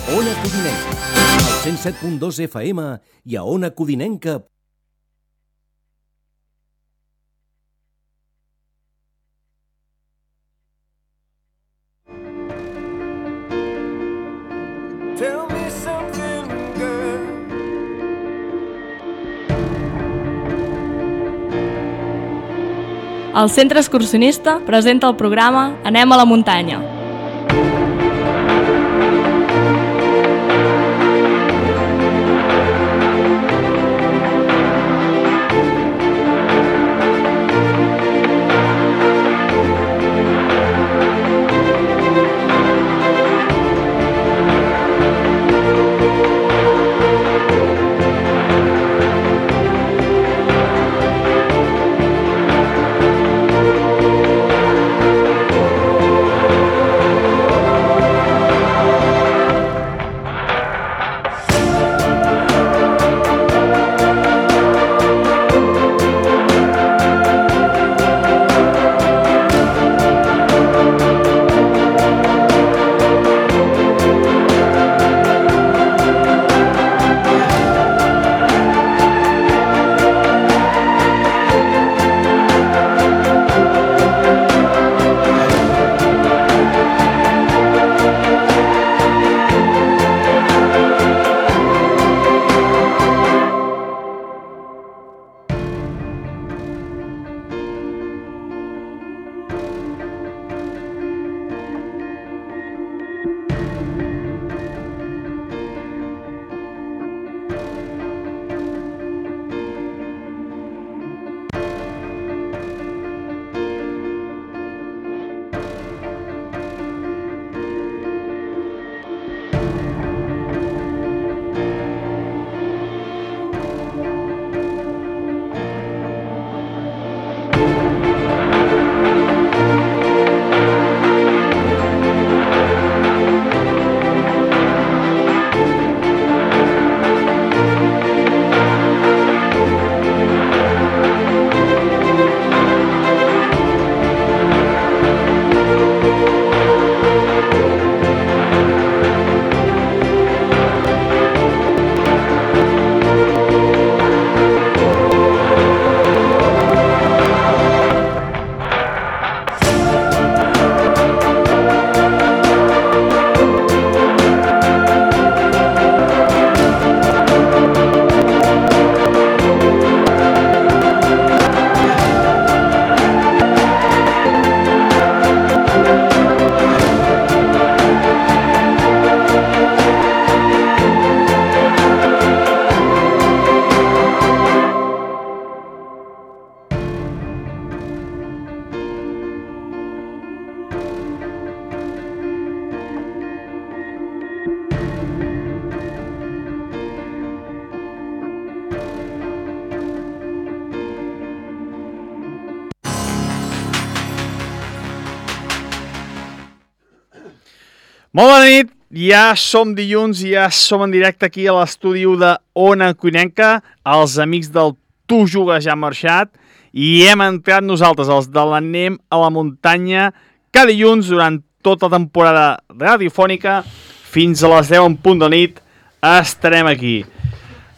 Ona Codinenca, al 107.2 FM i a onacodinenca.com. Tell me something, girl. El Centre Excursionista presenta el programa Anem a la muntanya. Molt bona nit, ja som dilluns i ja som en directe aquí a l'estudi de Ona Codinenca, els amics del Tu Jugues ja han marxat i hem entrat nosaltres, els de l'Anem a la muntanya, cada dilluns durant tota la temporada radiofònica fins a les 10 en punt de nit estarem aquí.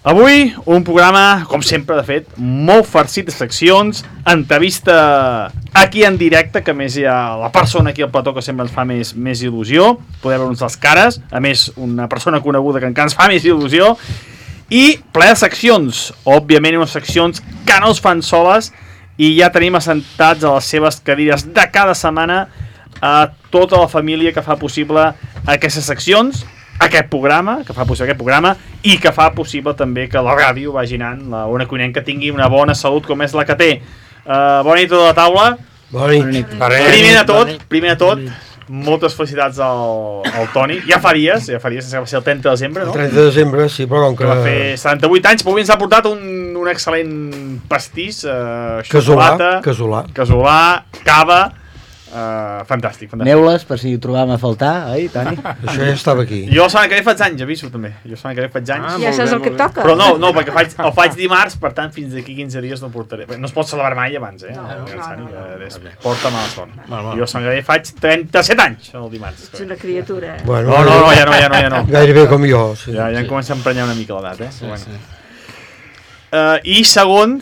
Avui un programa, com sempre de fet, molt farcit de seccions, entrevista aquí en directe, que a més hi ha la persona aquí al plató que sempre ens fa més il·lusió, poder veure-nos les cares, a més una persona coneguda que encara ens fa més il·lusió, i ple de seccions, òbviament unes seccions que no es fan soles, i ja tenim assentats a les seves cadires de cada setmana a tota la família que fa possible aquestes seccions, aquest programa, que fa possible aquest programa i que fa possible també que la ràdio vagi anant, la Ona Codinenca tingui una bona salut com és la que té. Bona nit a tota la taula. Bona nit. Primer de tot, moltes felicitats al Toni. Ja fa dies, que va ser el 30 de desembre, no? El 30 de desembre, sí, però com que... va fer 78 anys, però avui ens ha portat un excel·lent pastís, xocolata, casolà, cava, Fantàstic. Neules, per si ho trobàvem a faltar, oi, Toni? Això ja estava aquí. Jo la setmana que ve faig anys, aviso també. Jo la setmana que ve faig anys. Ja saps el que et toca. Però no, perquè el faig dimarts, per tant, fins d'aquí 15 dies no portaré. No es pot celebrar mai abans, Porta mala sort. Jo la setmana que ve faig 37 anys, el dimarts. Ets una criatura, Bueno, No, ja no. Gairebé com jo. Sí. Ja em comença a emprenyar una mica l'edat, I segon,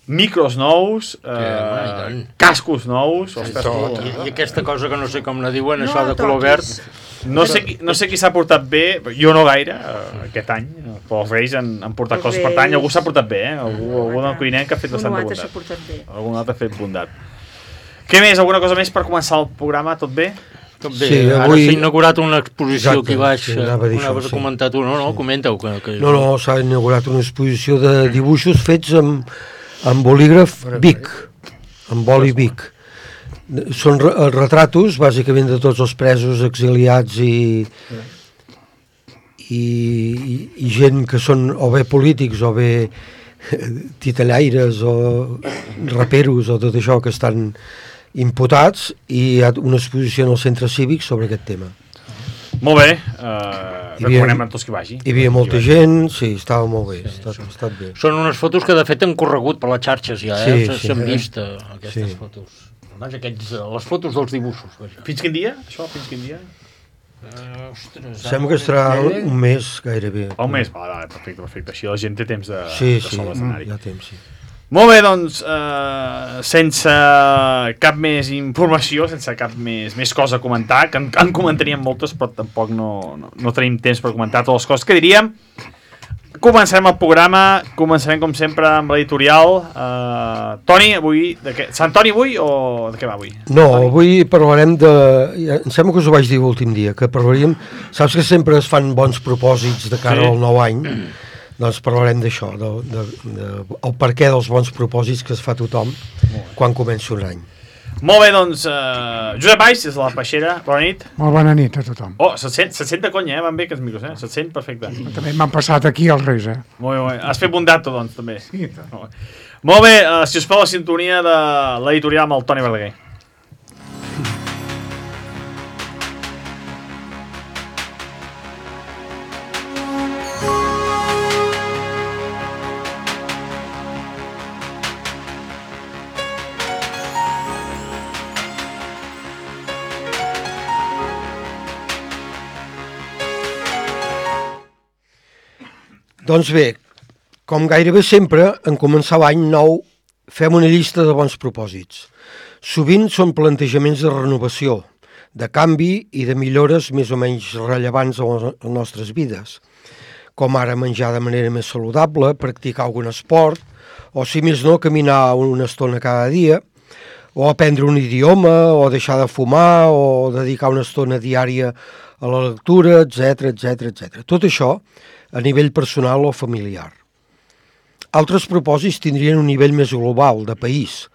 micros nous, cascos nous, I aquesta cosa que no sé com la diuen, això de color verd. No sé qui s'ha portat bé, jo no gaire, aquest any, però els Reis han portat coses per tant, algú s'ha portat bé, algú del cuiner que ha fet bastanta bondat. Algun altre ha fet bondat. Què més? Alguna cosa més per començar el programa? Tot bé? Sí, ara s'ha inaugurat una exposició aquí baix, anaves a comentar tu, no? Comenta-ho. No, s'ha inaugurat una exposició de dibuixos fets amb bolígraf Bic, amb boli Bic. Són retratos, bàsicament, de tots els presos, exiliats i gent que són o bé polítics o bé titellaires o raperos o tot això que estan imputats, i hi ha una exposició en el centre cívic sobre aquest tema. Molt bé, recomanem a tots que vagi. Hi havia molta gent, sí, estava molt bé, ha estat bé. Són unes fotos que de fet han corregut per les xarxes ja, s'han vist aquestes fotos. Les fotos dels dibuixos. Fins quin dia, això? Fins quin dia? Sembla que estarà un mes gairebé. Un mes? Perfecte. Així la gent té temps de sol l'escenari. Ja temps, sí. Molt bé, doncs, sense cap més informació, sense cap més cosa a comentar, que en comentaríem moltes, però tampoc no tenim temps per comentar totes les coses que diríem. Començarem el programa, com sempre, amb l'editorial. Toni, avui, Sant Toni avui o de què va avui? No, avui parlarem em sembla que us ho vaig dir l'últim dia, que parlaríem, saps que sempre es fan bons propòsits de cara al nou any? Doncs parlarem d'això, el perquè dels bons propòsits que es fa tothom quan comença un any. Molt bé, doncs, Josep Valls, des de la Peixera, bona nit. Molt bona nit a tothom. Oh, se't sent de conya, van bé aquests micros, se't sent perfecte. També m'han passat aquí els Reis, Molt bé, has fet bondat, doncs, també. Sí. Molt bé, si us fa la sintonia de l'editorial amb el Toni Verdaguer. Doncs bé, com gairebé sempre, en començar l'any nou, fem una llista de bons propòsits. Sovint són plantejaments de renovació, de canvi i de millores més o menys rellevants a les nostres vides, com ara menjar de manera més saludable, practicar algun esport, o si més no, caminar una estona cada dia, o aprendre un idioma, o deixar de fumar, o dedicar una estona diària a la lectura, etc. Tot això a nivell personal o familiar. Altres propòsits tindrien un nivell més global, de país,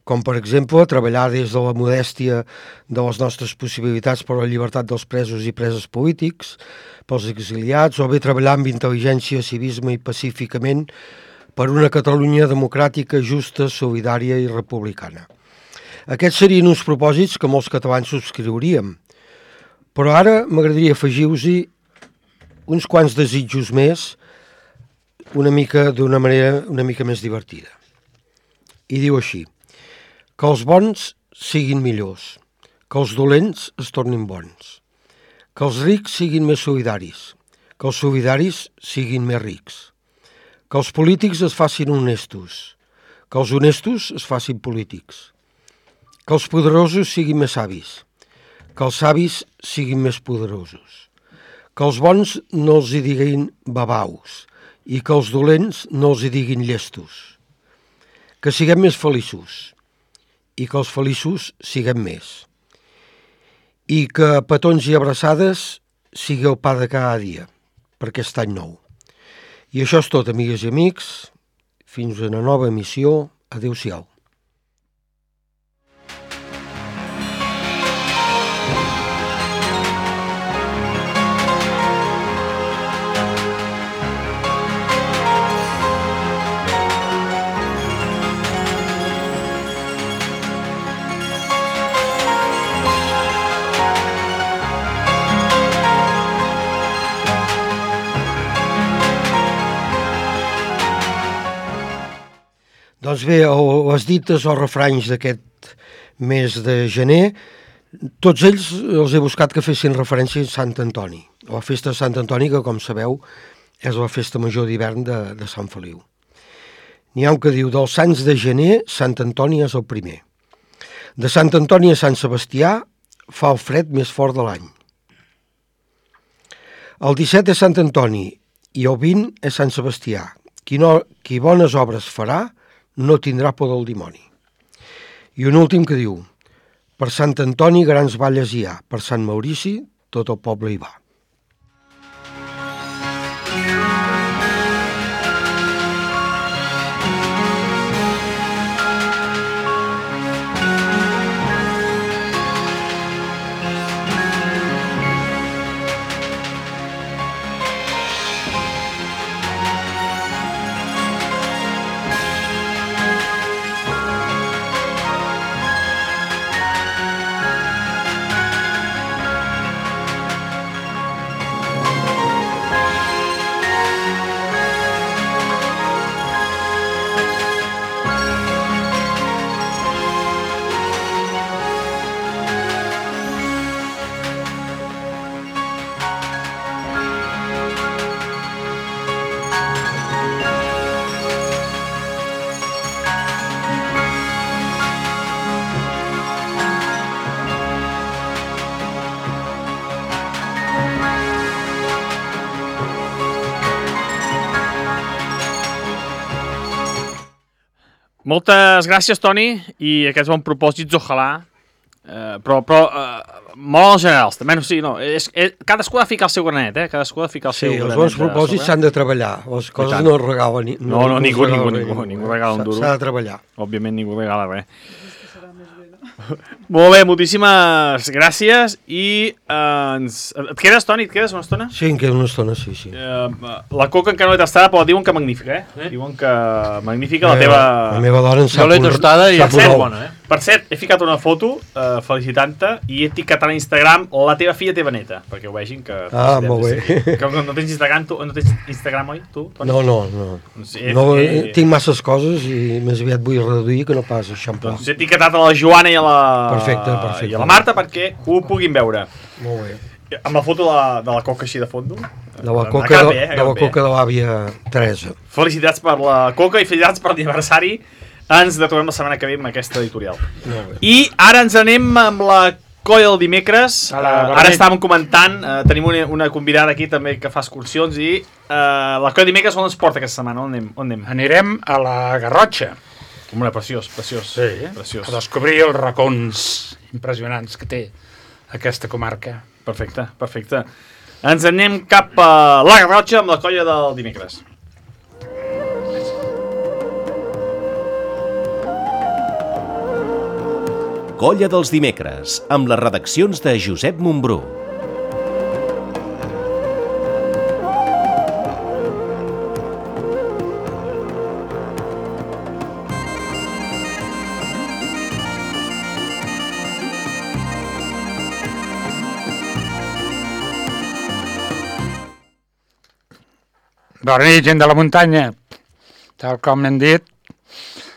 com per exemple treballar des de la modèstia de les nostres possibilitats per a la llibertat dels presos i preses polítics, pels exiliats, o bé treballar amb intel·ligència, civisme i pacíficament per una Catalunya democràtica, justa, solidària i republicana. Aquests serien uns propòsits que molts catalans subscriuríem, però ara m'agradaria afegir-vos-hi uns quants desitjos més, d'una manera una mica més divertida. I diu així: que els bons siguin millors, que els dolents es tornin bons, que els rics siguin més solidaris, que els solidaris siguin més rics, que els polítics es facin honestos, que els honestos es facin polítics, que els poderosos siguin més savis, que els savis siguin més poderosos, que els bons no els hi diguin babaus i que els dolents no els hi diguin llestos, que siguem més feliços i que els feliços siguem més, i que petons i abraçades sigui el pa de cada dia per aquest any nou. I això és tot, amigues i amics. Fins a una nova emissió. Adéu-siau. Doncs bé, les dites o refranys d'aquest mes de gener, tots ells els he buscat que fessin referència a Sant Antoni. La festa de Sant Antoni, que com sabeu és la festa major d'hivern de Sant Feliu. N'hi ha un que diu, dels sants de gener, Sant Antoni és el primer. De Sant Antoni a Sant Sebastià fa el fred més fort de l'any. El 17 és Sant Antoni i el 20 és Sant Sebastià. Qui bones obres farà no tindrà por del dimoni. I un últim que diu, per Sant Antoni grans balles hi ha, per Sant Maurici tot el poble hi va. Moltes gràcies, Toni, i aquests bons propòsits, ojalà, però molt en general, també, cadascú ha de ficar el seu granet, cadascú ha de ficar el seu granet. Sí, els bons propòsits s'han de treballar, les coses no es regalen. No, ningú regala un duro. S'ha de treballar. Òbviament ningú regala res. Molt bé, moltíssimes gràcies i et quedes, Toni? Et quedes una estona? Sí, em quedo una estona, sí. La coca encara no l'he tastada, però diuen que magnífica, Diuen que magnífica la teva... La meva dona en sap jo l'he tastada i és bona, Per cert, he ficat una foto felicitant-te i he etiquetat a Instagram la teva filla teva neta, perquè ho vegin que... Molt bé. Que no tens Instagram, no tens Instagram, oi, tu, Toni? No, tinc masses coses i més aviat vull reduir que no pas eixamplar. Doncs he etiquetat a la Joana i a la... Perfecte. I a la Marta perquè ho puguin veure. Molt bé. Amb la foto de la coca així de fondo. De la coca de l'àvia Teresa. Felicitats per la coca i felicitats per l'aniversari. Ens trobem la setmana que ve amb aquesta editorial. I ara ens anem amb la colla del dimecres. Ara estàvem comentant, tenim una convidada aquí també que fa excursions i la colla del dimecres on ens porta aquesta setmana? On anem? Anirem a la Garrotxa. Home, preciós. Sí, a descobrir els racons impressionants que té aquesta comarca. Perfecte. Ens anem cap a la Garrotxa amb la colla del dimecres. Colla dels dimecres, amb les redaccions de Josep Montbrú. Bona nit, gent de la muntanya. Tal com hem dit,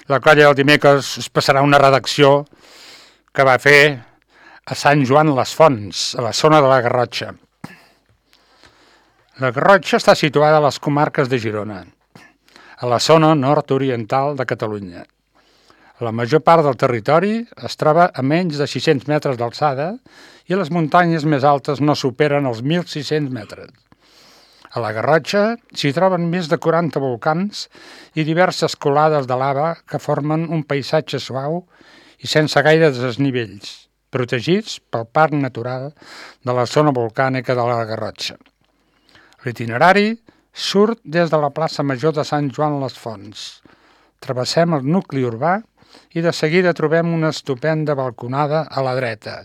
la colla del dimecres es passarà una redacció que va fer a Sant Joan les Fonts, a la zona de la Garrotxa. La Garrotxa està situada a les comarques de Girona, a la zona nord-oriental de Catalunya. La major part del territori es troba a menys de 600 metres d'alçada i les muntanyes més altes no superen els 1.600 metres. A la Garrotxa s'hi troben més de 40 volcans i diverses colades de lava que formen un paisatge suau i sense gaire desnivells, protegits pel Parc Natural de la zona volcànica de la Garrotxa. L'itinerari surt des de la plaça Major de Sant Joan les Fonts. Travessem el nucli urbà i de seguida trobem una estupenda balconada a la dreta,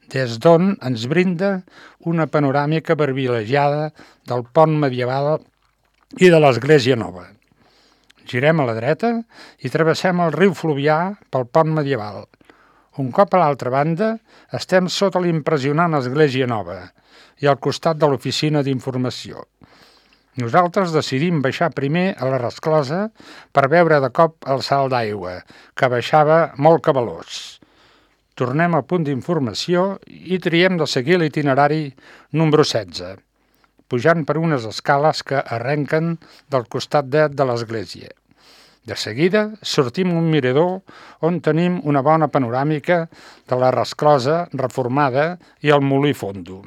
des d'on ens brinda una panoràmica privilegiada del pont medieval i de l'església nova. Girem a la dreta i travessem el riu Fluvià pel pont medieval. Un cop a l'altra banda estem sota l'impressionant església nova i al costat de l'oficina d'informació. Nosaltres decidim baixar primer a la resclosa per veure de cop el salt d'aigua, que baixava molt cabalós. Tornem al punt d'informació i triem de seguir l'itinerari número 16, pujant per unes escales que arrenquen del costat dret de l'església. De seguida sortim a un mirador on tenim una bona panoràmica de la resclosa reformada i el molí fondo.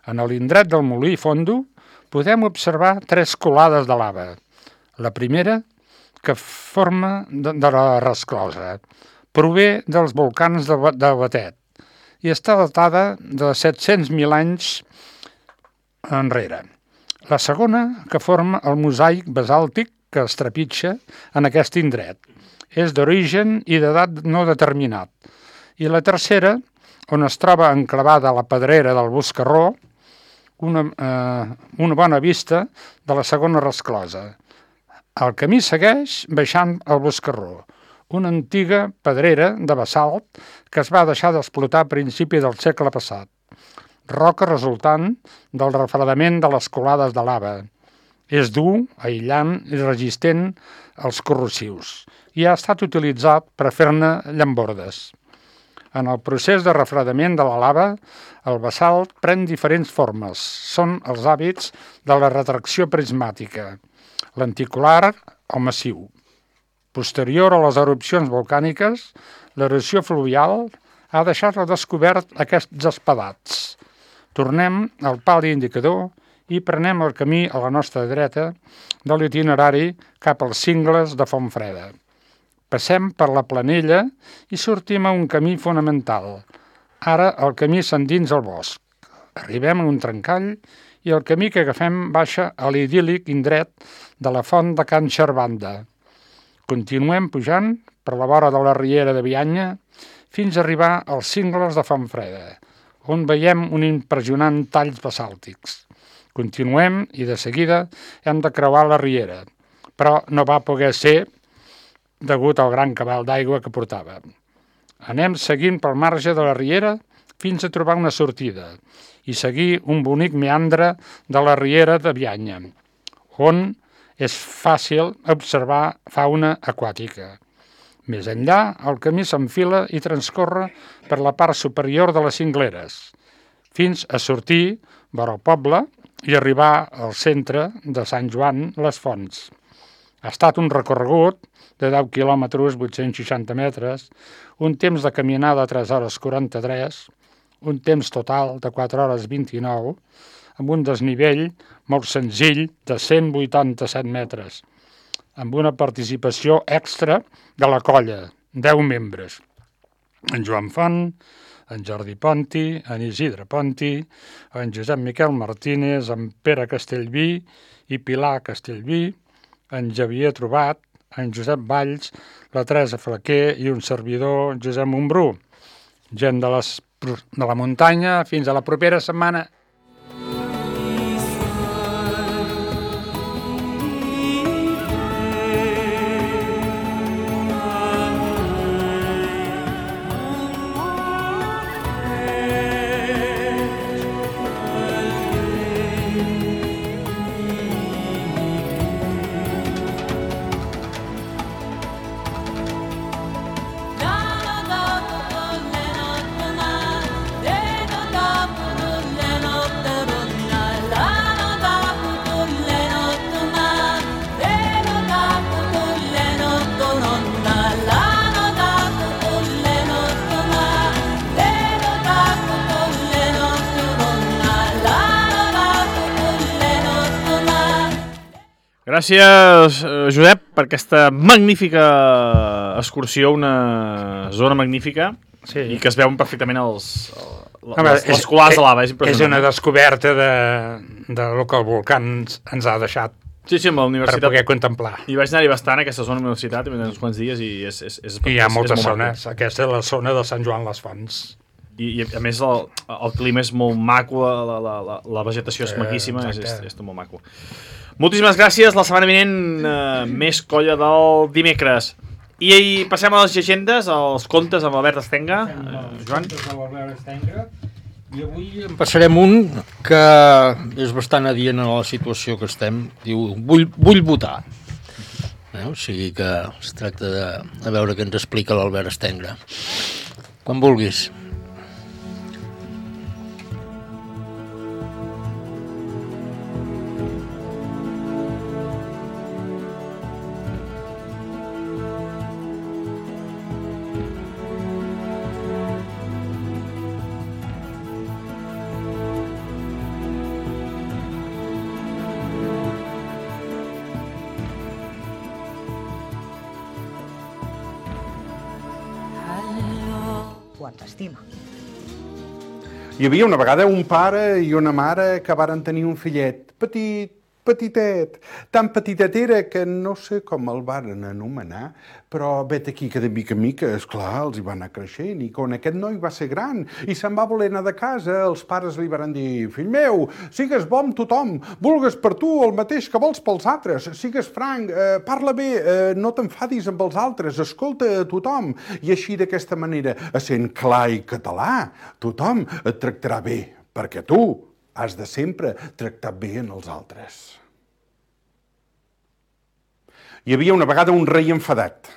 En l'indret del molí fondo podem observar 3 colades de lava. La primera, que forma de la resclosa, prové dels volcans de Batet i està datada de 700.000 anys enrere. La segona, que forma el mosaic basàltic que es trepitja en aquest indret. És d'origen i d'edat no determinat. I la tercera, on es troba enclavada la pedrera del Boscarró, una bona vista de la segona resclosa. El camí segueix baixant al Boscarró, una antiga pedrera de basalt que es va deixar d'explotar a principi del segle passat. Roca resultant del refredament de les colades de lava. És dur, aïllant i resistent als corrosius i ha estat utilitzat per fer-ne llambordes. En el procés de refredament de la lava, el basalt pren diferents formes. Són els hàbits de la retracció prismàtica, lenticular o massiu. Posterior a les erupcions volcàniques, l'erosió fluvial ha deixat al descobert aquests espadats. Tornem al pal indicador i prenem el camí a la nostra dreta de l'itinerari cap als cingles de Fontfreda. Passem per la Planella i sortim a un camí fonamental. Ara el camí s'endins al bosc. Arribem a un trencall i el camí que agafem baixa a l'idíl·lic indret de la font de Can Xervanda. Continuem pujant per la vora de la riera de Bianya fins a arribar als cingles de Fontfreda, on veiem un impressionant talls basàltics. Continuem i de seguida hem de creuar la riera, però no va poder ser degut al gran cabal d'aigua que portava. Anem seguint pel marge de la riera fins a trobar una sortida i seguir un bonic meandre de la riera de Bianya, on és fàcil observar fauna aquàtica. Més enllà, el camí s'enfila i transcorre per la part superior de les cingleres, fins a sortir vora el poble i arribar al centre de Sant Joan les Fonts. Ha estat un recorregut de 10 quilòmetres, 860 metres, un temps de caminada de 3 hores 43, un temps total de 4 hores 29, amb un desnivell molt senzill de 187 metres, amb una participació extra de la colla, 10 membres. En Joan Font, en Jordi Ponti, en Isidre Ponti, en Josep Miquel Martínez, en Pere Castellví i Pilar Castellví, en Xavier Trobat, en Josep Valls, la Teresa Flaquer i un servidor, Josep Montbrú. Gent de la muntanya, fins a la propera setmana. Gràcies, Josep, per aquesta magnífica excursió, una zona magnífica, sí, i que es veuen perfectament les colades de lava. És una descoberta de lo que el volcà ens ha deixat. Sí, amb la universitat. Per poder contemplar. I vaig anar-hi bastant a aquesta zona de la universitat, uns quants dies, i hi ha moltes zones. Aquesta és la zona de Sant Joan les Fonts. I a més el clima és molt maco, la vegetació és maquíssima, és molt maco. Moltíssimes gràcies. La setmana vinent més colla del dimecres. I passem a les llegendes, als contes amb l'Albert Estenga. Joan. I avui en passarem un que és bastant adient a la situació que estem. Diu, vull votar. O sigui que es tracta de veure què ens explica l'Albert Estengre. Quan vulguis. Quan t'estima. Hi havia una vegada un pare i una mare que varen tenir un fillet petitet, tan petitet era que no sé com el varen anomenar, però vet aquí que de mica en mica, esclar, els hi va anar creixent, i quan aquest noi va ser gran i se'n va voler anar de casa, els pares li varen dir, fill meu, sigues bo amb tothom, vulgues per tu el mateix que vols pels altres, sigues franc, parla bé, no t'enfadis amb els altres, escolta a tothom, i així d'aquesta manera, essent clar i català, tothom et tractarà bé, perquè tu has de sempre tractar bé en els altres. Hi havia una vegada un rei enfadat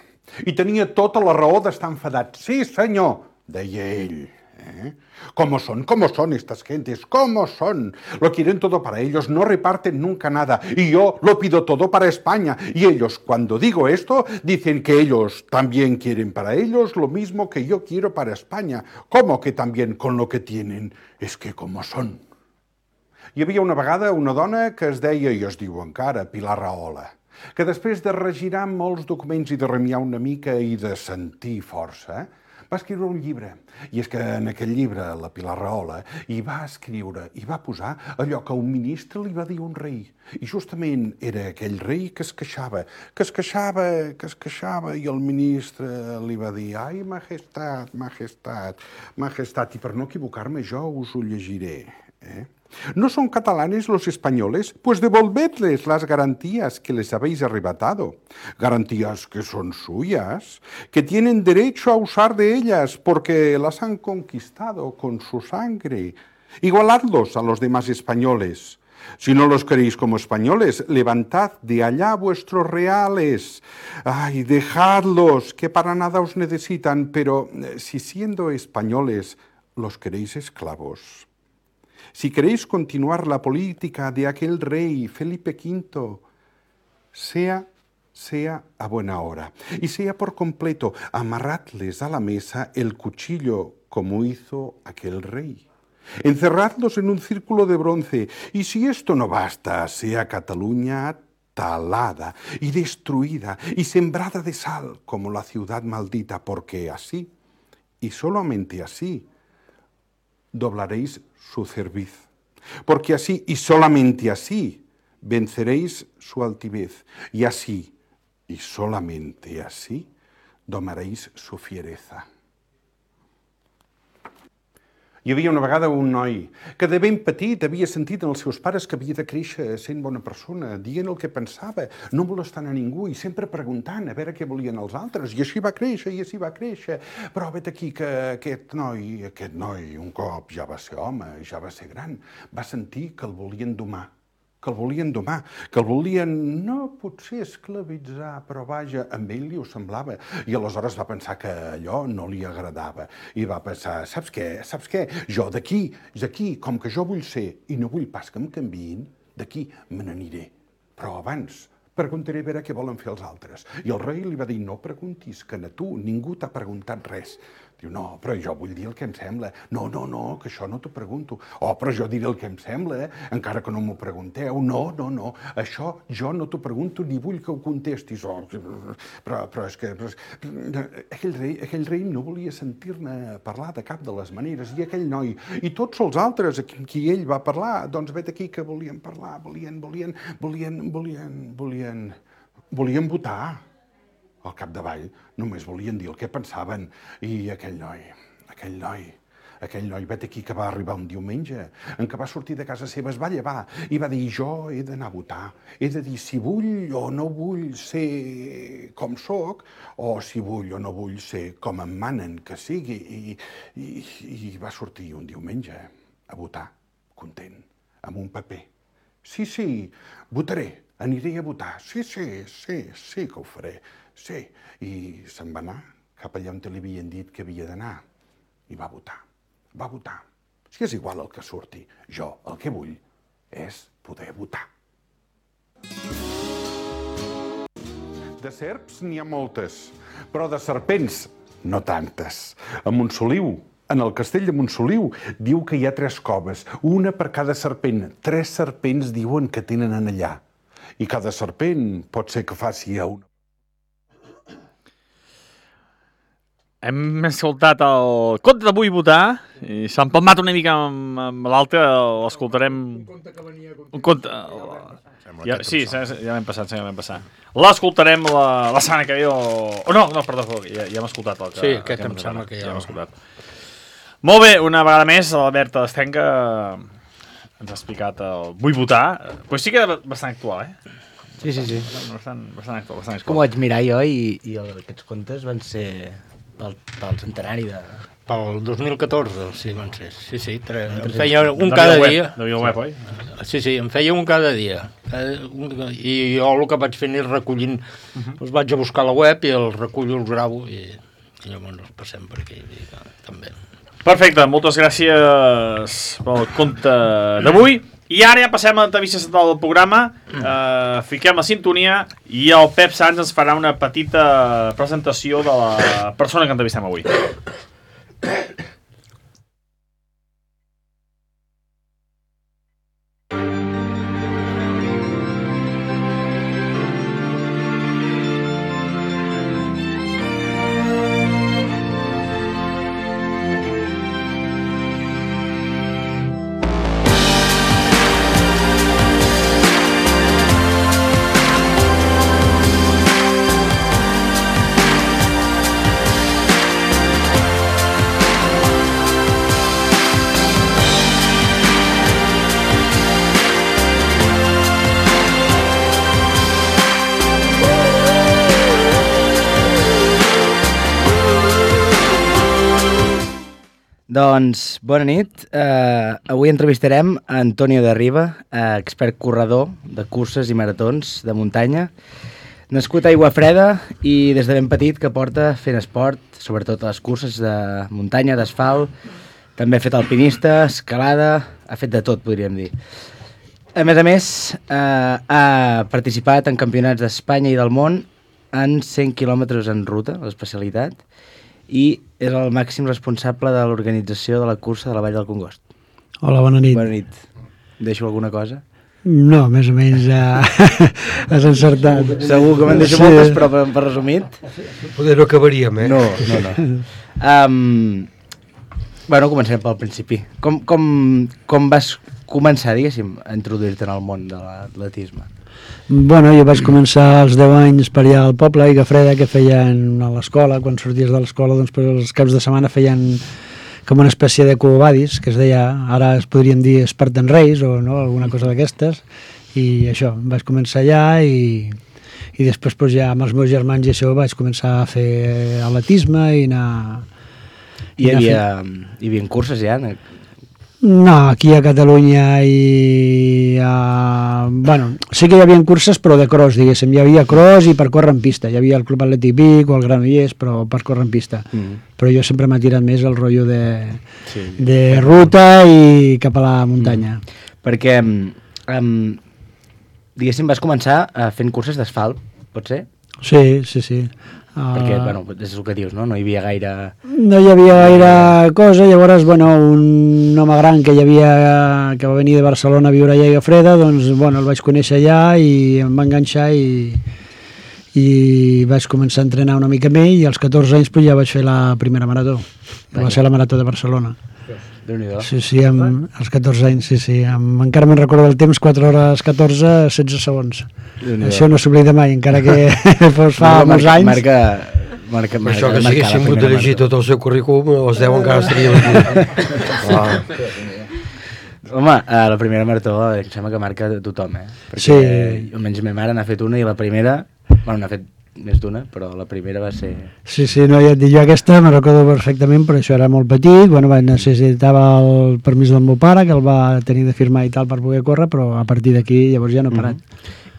i tenia tota la raó d'estar enfadat. Sí, senyor, deia ell. ¿Cómo son estas gentes? ¿Cómo son? Lo quieren todo para ellos, no reparten nunca nada. Y yo lo pido todo para España. Y ellos, cuando digo esto, dicen que ellos también quieren para ellos lo mismo que yo quiero para España. ¿Cómo que también con lo que tienen? Es que ¿cómo son? Hi havia una vegada una dona que es deia, i es diu encara, Pilar Rahola, que després de regirar molts documents i de remiar una mica i de sentir força, va escriure un llibre. I és que en aquell llibre, la Pilar Rahola, hi va escriure, hi va posar allò que un ministre li va dir a un rei. I justament era aquell rei que es queixava, i el ministre li va dir, ai, majestat, i per no equivocar-me jo us ho llegiré, ¿No son catalanes los españoles? Pues devolvedles las garantías que les habéis arrebatado. Garantías que son suyas, que tienen derecho a usar de ellas porque las han conquistado con su sangre. Igualadlos a los demás españoles. Si no los queréis como españoles, levantad de allá vuestros reales. Ay, dejadlos, que para nada os necesitan, pero si siendo españoles los queréis esclavos. Si queréis continuar la política de aquel rey Felipe V, sea a buena hora y sea por completo, amarradles a la mesa el cuchillo como hizo aquel rey. Encerradlos en un círculo de bronce y si esto no basta, sea Cataluña talada y destruida y sembrada de sal como la ciudad maldita, porque así, y solamente así, doblaréis su cerviz, porque así y solamente así venceréis su altivez, y así y solamente así domaréis su fiereza. Hi havia una vegada un noi que de ben petit havia sentit en els seus pares que havia de créixer sent bona persona, dient el que pensava, no molestant a ningú i sempre preguntant a veure què volien els altres. I així va créixer, Però vet aquí que aquest noi, un cop ja va ser home, ja va ser gran, va sentir que el volien domar, que el volien no potser esclavitzar, però vaja, amb ell li ho semblava. I aleshores va pensar que allò no li agradava. I va pensar, saps què? Jo d'aquí, com que jo vull ser i no vull pas que em canviïn, d'aquí me n'aniré. Però abans preguntaré a veure què volen fer els altres. I el rei li va dir, no preguntis, que a tu ningú t'ha preguntat res. Diu, no, però jo vull dir el que em sembla. No, que això no t'ho pregunto. Oh, però jo diré el que em sembla, encara que no m'ho pregunteu. No, això jo no t'ho pregunto ni vull que ho contestis. Oh, però és que aquell rei no volia sentir-ne parlar de cap de les maneres. I aquell noi, i tots els altres a qui ell va parlar, doncs vet aquí que volien parlar, volien votar. Al capdavall només volien dir el que pensaven. I aquell noi, vet aquí que va arribar un diumenge en què va sortir de casa seva, es va llevar i va dir, jo he d'anar a votar, he de dir si vull o no vull ser com soc o si vull o no vull ser com em manen que sigui. I va sortir un diumenge. a votar, content, amb un paper. Sí, votaré, aniré a votar, sí que ho faré, sí. I se'n va anar cap allà on li havien dit que havia d'anar i va votar. Si és igual el que surti, jo el que vull és poder votar. De serps n'hi ha moltes, però de serpents no tantes. A Montsoliu, en el castell de Montsoliu, diu que hi ha 3 coves, una per cada serpent. 3 serpents diuen que tenen en allà. I cada serpent pot ser que faci a una. Hem escoltat el conte de Vull votar i s'ha empalmat una mica amb l'altre, l'escoltarem... Un conte que venia... Un conte... Sí, ja l'hem passat. L'escoltarem la setmana que ve o... No, perdó, ja hem escoltat el que... Sí, aquest em sembla que ja hem escoltat. Molt bé, una vegada més, l'Alberta Estenca ens ha explicat el Vull votar. Pues sí que era bastant actual, eh? Sí. Bastant actual. Com ho vaig mirar jo i aquests contes van ser pel centenari de... Pel 2014, sí, van ser. Sí, em feia un cada dia. De via web, oi? Sí, em feia un cada dia. I jo el que vaig fent és recollint, els vaig a buscar a la web i els recullo, els gravo i llavors els passem per aquí, també. Perfecte, moltes gràcies pel conte d'avui. I ara ja passem a l'entrevista central del programa, fiquem la sintonia i el Pep Sans ens farà una petita presentació de la persona que entrevistem avui. Doncs, bona nit. Avui entrevistarem a Antonio de Riba, expert corredor de curses i maratons de muntanya, nascut a Aiguafreda i des de ben petit que porta fent esport, sobretot a les curses de muntanya, d'asfalt, també ha fet alpinista, escalada, ha fet de tot, podríem dir. A més, ha participat en campionats d'Espanya i del món en 100 quilòmetres en ruta, l'especialitat, i és el màxim responsable de l'organització de la cursa de la Vall del Congost. Hola, bona nit. Bona nit. Deixo alguna cosa? No, més o menys has encertat. Segur que me'n deixo moltes, però per resumit... Poder no acabaríem, eh? No. Bueno, començarem pel principi. Com vas començar, diguéssim, a introduir-te en el món de l'atletisme? Bueno, jo vaig començar als 10 anys per allà al poble, a Aiguafreda, que feien a l'escola, quan sorties de l'escola, doncs per els caps de setmana feien com una espècie de cubadis, que es deia, ara es podríem dir Spartan Race o no, alguna cosa d'aquestes, i això, vaig començar allà i després doncs, ja amb els meus germans i això vaig començar a fer atletisme i anar... Hi havia curses ja? No, aquí a Catalunya bueno, sí que hi havia curses però de cross, diguéssim, hi havia cross i per córrer en pista, hi havia el Club Atlètic Vic o el Granollers, però per córrer en pista. Però jo sempre m'ha tirat més el rotllo de ruta i cap a la muntanya. Perquè, diguéssim, vas començar fent curses d'asfalt, pot ser? Sí. Perquè, bueno, és el que dius, no? No hi havia gaire... No hi havia gaire cosa, llavors, bueno, un home gran que va venir de Barcelona a viure allà a Aiguafreda, doncs, bueno, el vaig conèixer allà i em va enganxar i vaig començar a entrenar una mica amb ell i als 14 anys pues, ja vaig fer la primera marató, que va ser la marató de Barcelona. Sí, als 14 anys, sí. Encara me'n recordo del temps, 4 hores 14, 16 segons. Això no s'oblida mai, encara que fos fa molts anys. Per això que si haguéssim hagut de llegir tot el seu currículum, els 10 encara estaríem aquí. Home, la primera marató em sembla que marca tothom, eh? Perquè almenys ma mare n'ha fet una i la primera, bueno, n'ha fet més d'una, però la primera va ser... Sí, no, ja et dic, jo aquesta me recordo perfectament, però això era molt petit, bueno, necessitava el permís del meu pare, que el va tenir de firmar i tal per poder córrer, però a partir d'aquí llavors ja no he parat.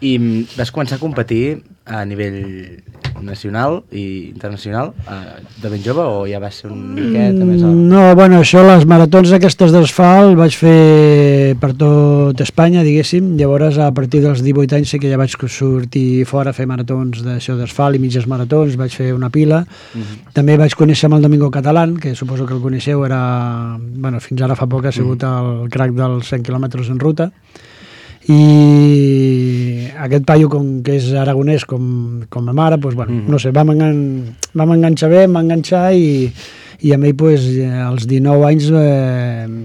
I vas començar a competir a nivell nacional i internacional de ben jove o ja va ser una miqueta més... No, bueno, això, les maratons aquestes d'asfalt vaig fer per tot Espanya, diguéssim, llavors a partir dels 18 anys sí que ja vaig sortir fora a fer maratons d'això d'asfalt i mitges maratons, vaig fer una pila. També vaig conèixer amb el Domingo Catalán, que suposo que el coneixeu, era, bueno, fins ara fa poc ha sigut el crack dels 100 quilòmetres en ruta, i aquest paio, com que és aragonès com ma mare, doncs, bueno, no sé, vam enganxar bé, em va enganxar i amb ell doncs, als 19 anys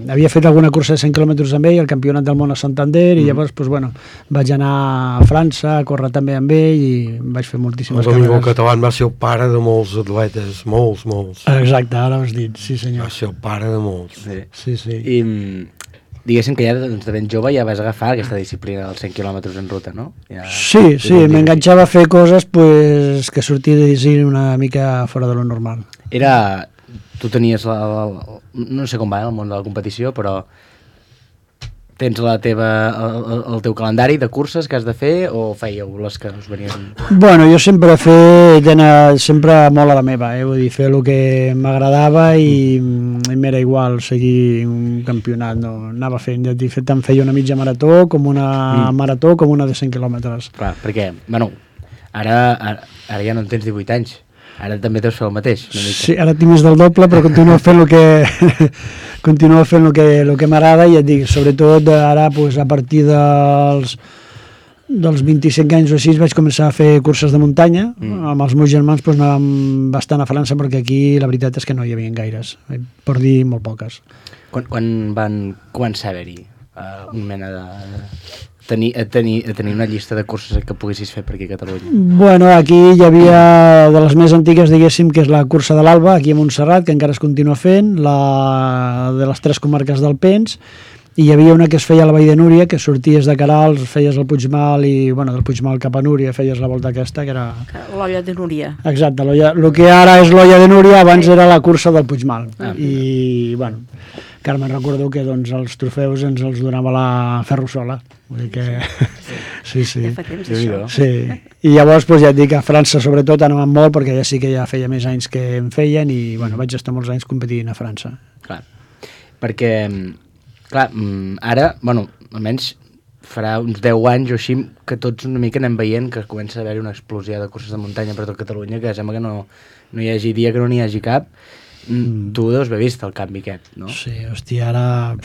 havia fet alguna cursa de 100 quilòmetres amb ell, el campionat del món a Santander, i llavors doncs, bueno, vaig anar a França a córrer també amb ell i vaig fer moltíssimes carreres. El Domingo Catalán va ser el pare de molts atletes, molts. Exacte, ara ho has dit, sí senyor. Va ser el pare de molts. Sí. I diguéssim que ja de ben jove ja vas agafar aquesta disciplina dels 100 quilòmetres en ruta, no? Ja... Sí, m'enganxava a fer coses pues, que sortia de dir una mica fora de lo normal. Tu tenies, no sé com va el món de la competició, però tens el teu calendari de curses que has de fer o fèieu les que us venien? Bueno, jo sempre he fet sempre molt a la meva, vull dir, fer el que m'agradava i m'era igual seguir un campionat, no anava fent, tant feia una mitja marató com una marató com una de 100 quilòmetres. Clar, perquè, bueno, ara ja no en tens 18 anys. Ara també deus fer el mateix. Sí, ara tinc més del doble, però continuo fent el que m'agrada i et dic, sobretot ara pues, a partir dels 25 anys o així vaig començar a fer curses de muntanya. Amb els meus germans pues, anàvem bastant a França perquè aquí la veritat és que no hi havia gaires, per dir molt poques. Quan van començar a haver-hi una mena de... tenir una llista de curses que poguessis fer per aquí a Catalunya? Bueno, aquí hi havia de les més antigues, diguéssim, que és la cursa de l'Alba, aquí a Montserrat, que encara es continua fent, la de les 3 comarques d'Alpens, i hi havia una que es feia a la Vall de Núria, que sorties de Queralbs, feies el Puigmal i, bueno, del Puigmal cap a Núria feies la volta aquesta, que era... L'olla de Núria. Exacte, el que ara és l'olla de Núria, abans era la cursa del Puigmal. I, bueno, que ara me'n recordo que doncs, els trofeus ens els donava la Ferrusola. Vull dir que... Sí. Sí. I llavors, doncs, ja et dic, a França sobretot anàvem molt, perquè ja sí que ja feia més anys que en feien i, bueno, vaig estar molts anys competint a França. Clar, perquè... Clar, ara, bueno, almenys farà uns 10 anys o així que tots una mica anem veient que comença a haver-hi una explosió de curses de muntanya per tot Catalunya, que sembla que no hi hagi dia que no n'hi hagi cap. Tu deus haver vist el canvi aquest, no? Sí, hòstia, ara...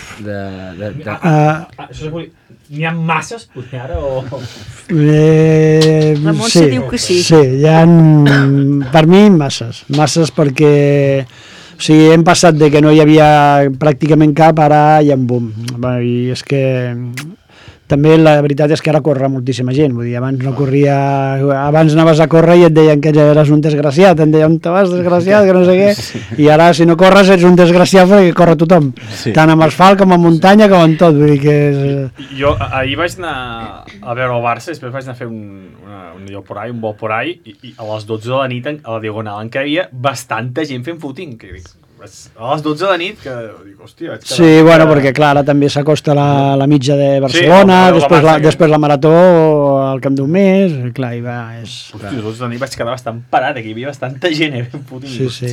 N'hi ha masses, potser ara, o...? La Montse diu que sí. Sí, hi ha, per mi, masses perquè... O sigui, hem passat de que no hi havia pràcticament cap, ara hi ha un boom. I és que també la veritat és que ara corre moltíssima gent. Vull dir, abans anaves a córrer i et deien que eres un desgraciat, et deien, on te vas, desgraciat, que no sé què, i ara si no corres ets un desgraciat perquè corre tothom, tant amb asfalt com amb muntanya com amb tot. Vull dir que és... Jo ahir vaig anar a veure el Barça, després vaig anar a fer un vol por ahí, i a les 12 de la nit, a la Diagonal, en què hi havia bastanta gent fent footing, que dic, a les 12 de la nit, que dic, hòstia... Sí, bueno, perquè clar, ara també s'acosta la mitja de Barcelona, després la marató al Camp d'un Mes, clar, i va, és... Hòstia, a les 12 de la nit vaig quedar bastant parat, que hi havia bastanta gent fent footing. Sí,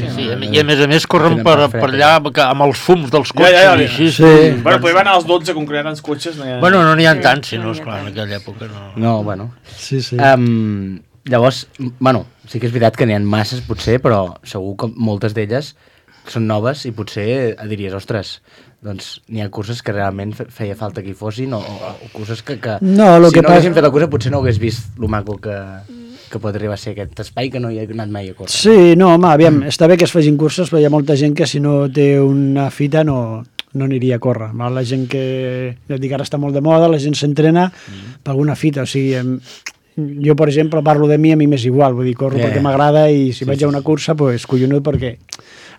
i a més corren per allà amb els fums dels cotxes. Bueno, però hi van als 12 concretant els cotxes. Bueno, no n'hi ha tants, si no, esclar, en aquella època no... No, bueno. Sí. Llavors, bueno, sí que és veritat que n'hi ha masses, potser, però segur que moltes d'elles són noves i potser diries, ostres, doncs n'hi ha curses que realment feia falta que hi fossin o curses que no, si no haguessin fet la cursa potser no hagués vist lo maco que pot arribar a ser aquest espai que no hi ha anat mai a córrer. Sí, no, home, aviam, està bé que es facin curses, però hi ha molta gent que si no té una fita no aniria a córrer. La gent que, ja et dic, ara està molt de moda, la gent s'entrena per alguna fita, o sigui... Jo, per exemple, parlo de mi, a mi m'és igual, vull dir, corro perquè m'agrada i si vaig a una cursa, doncs collonut perquè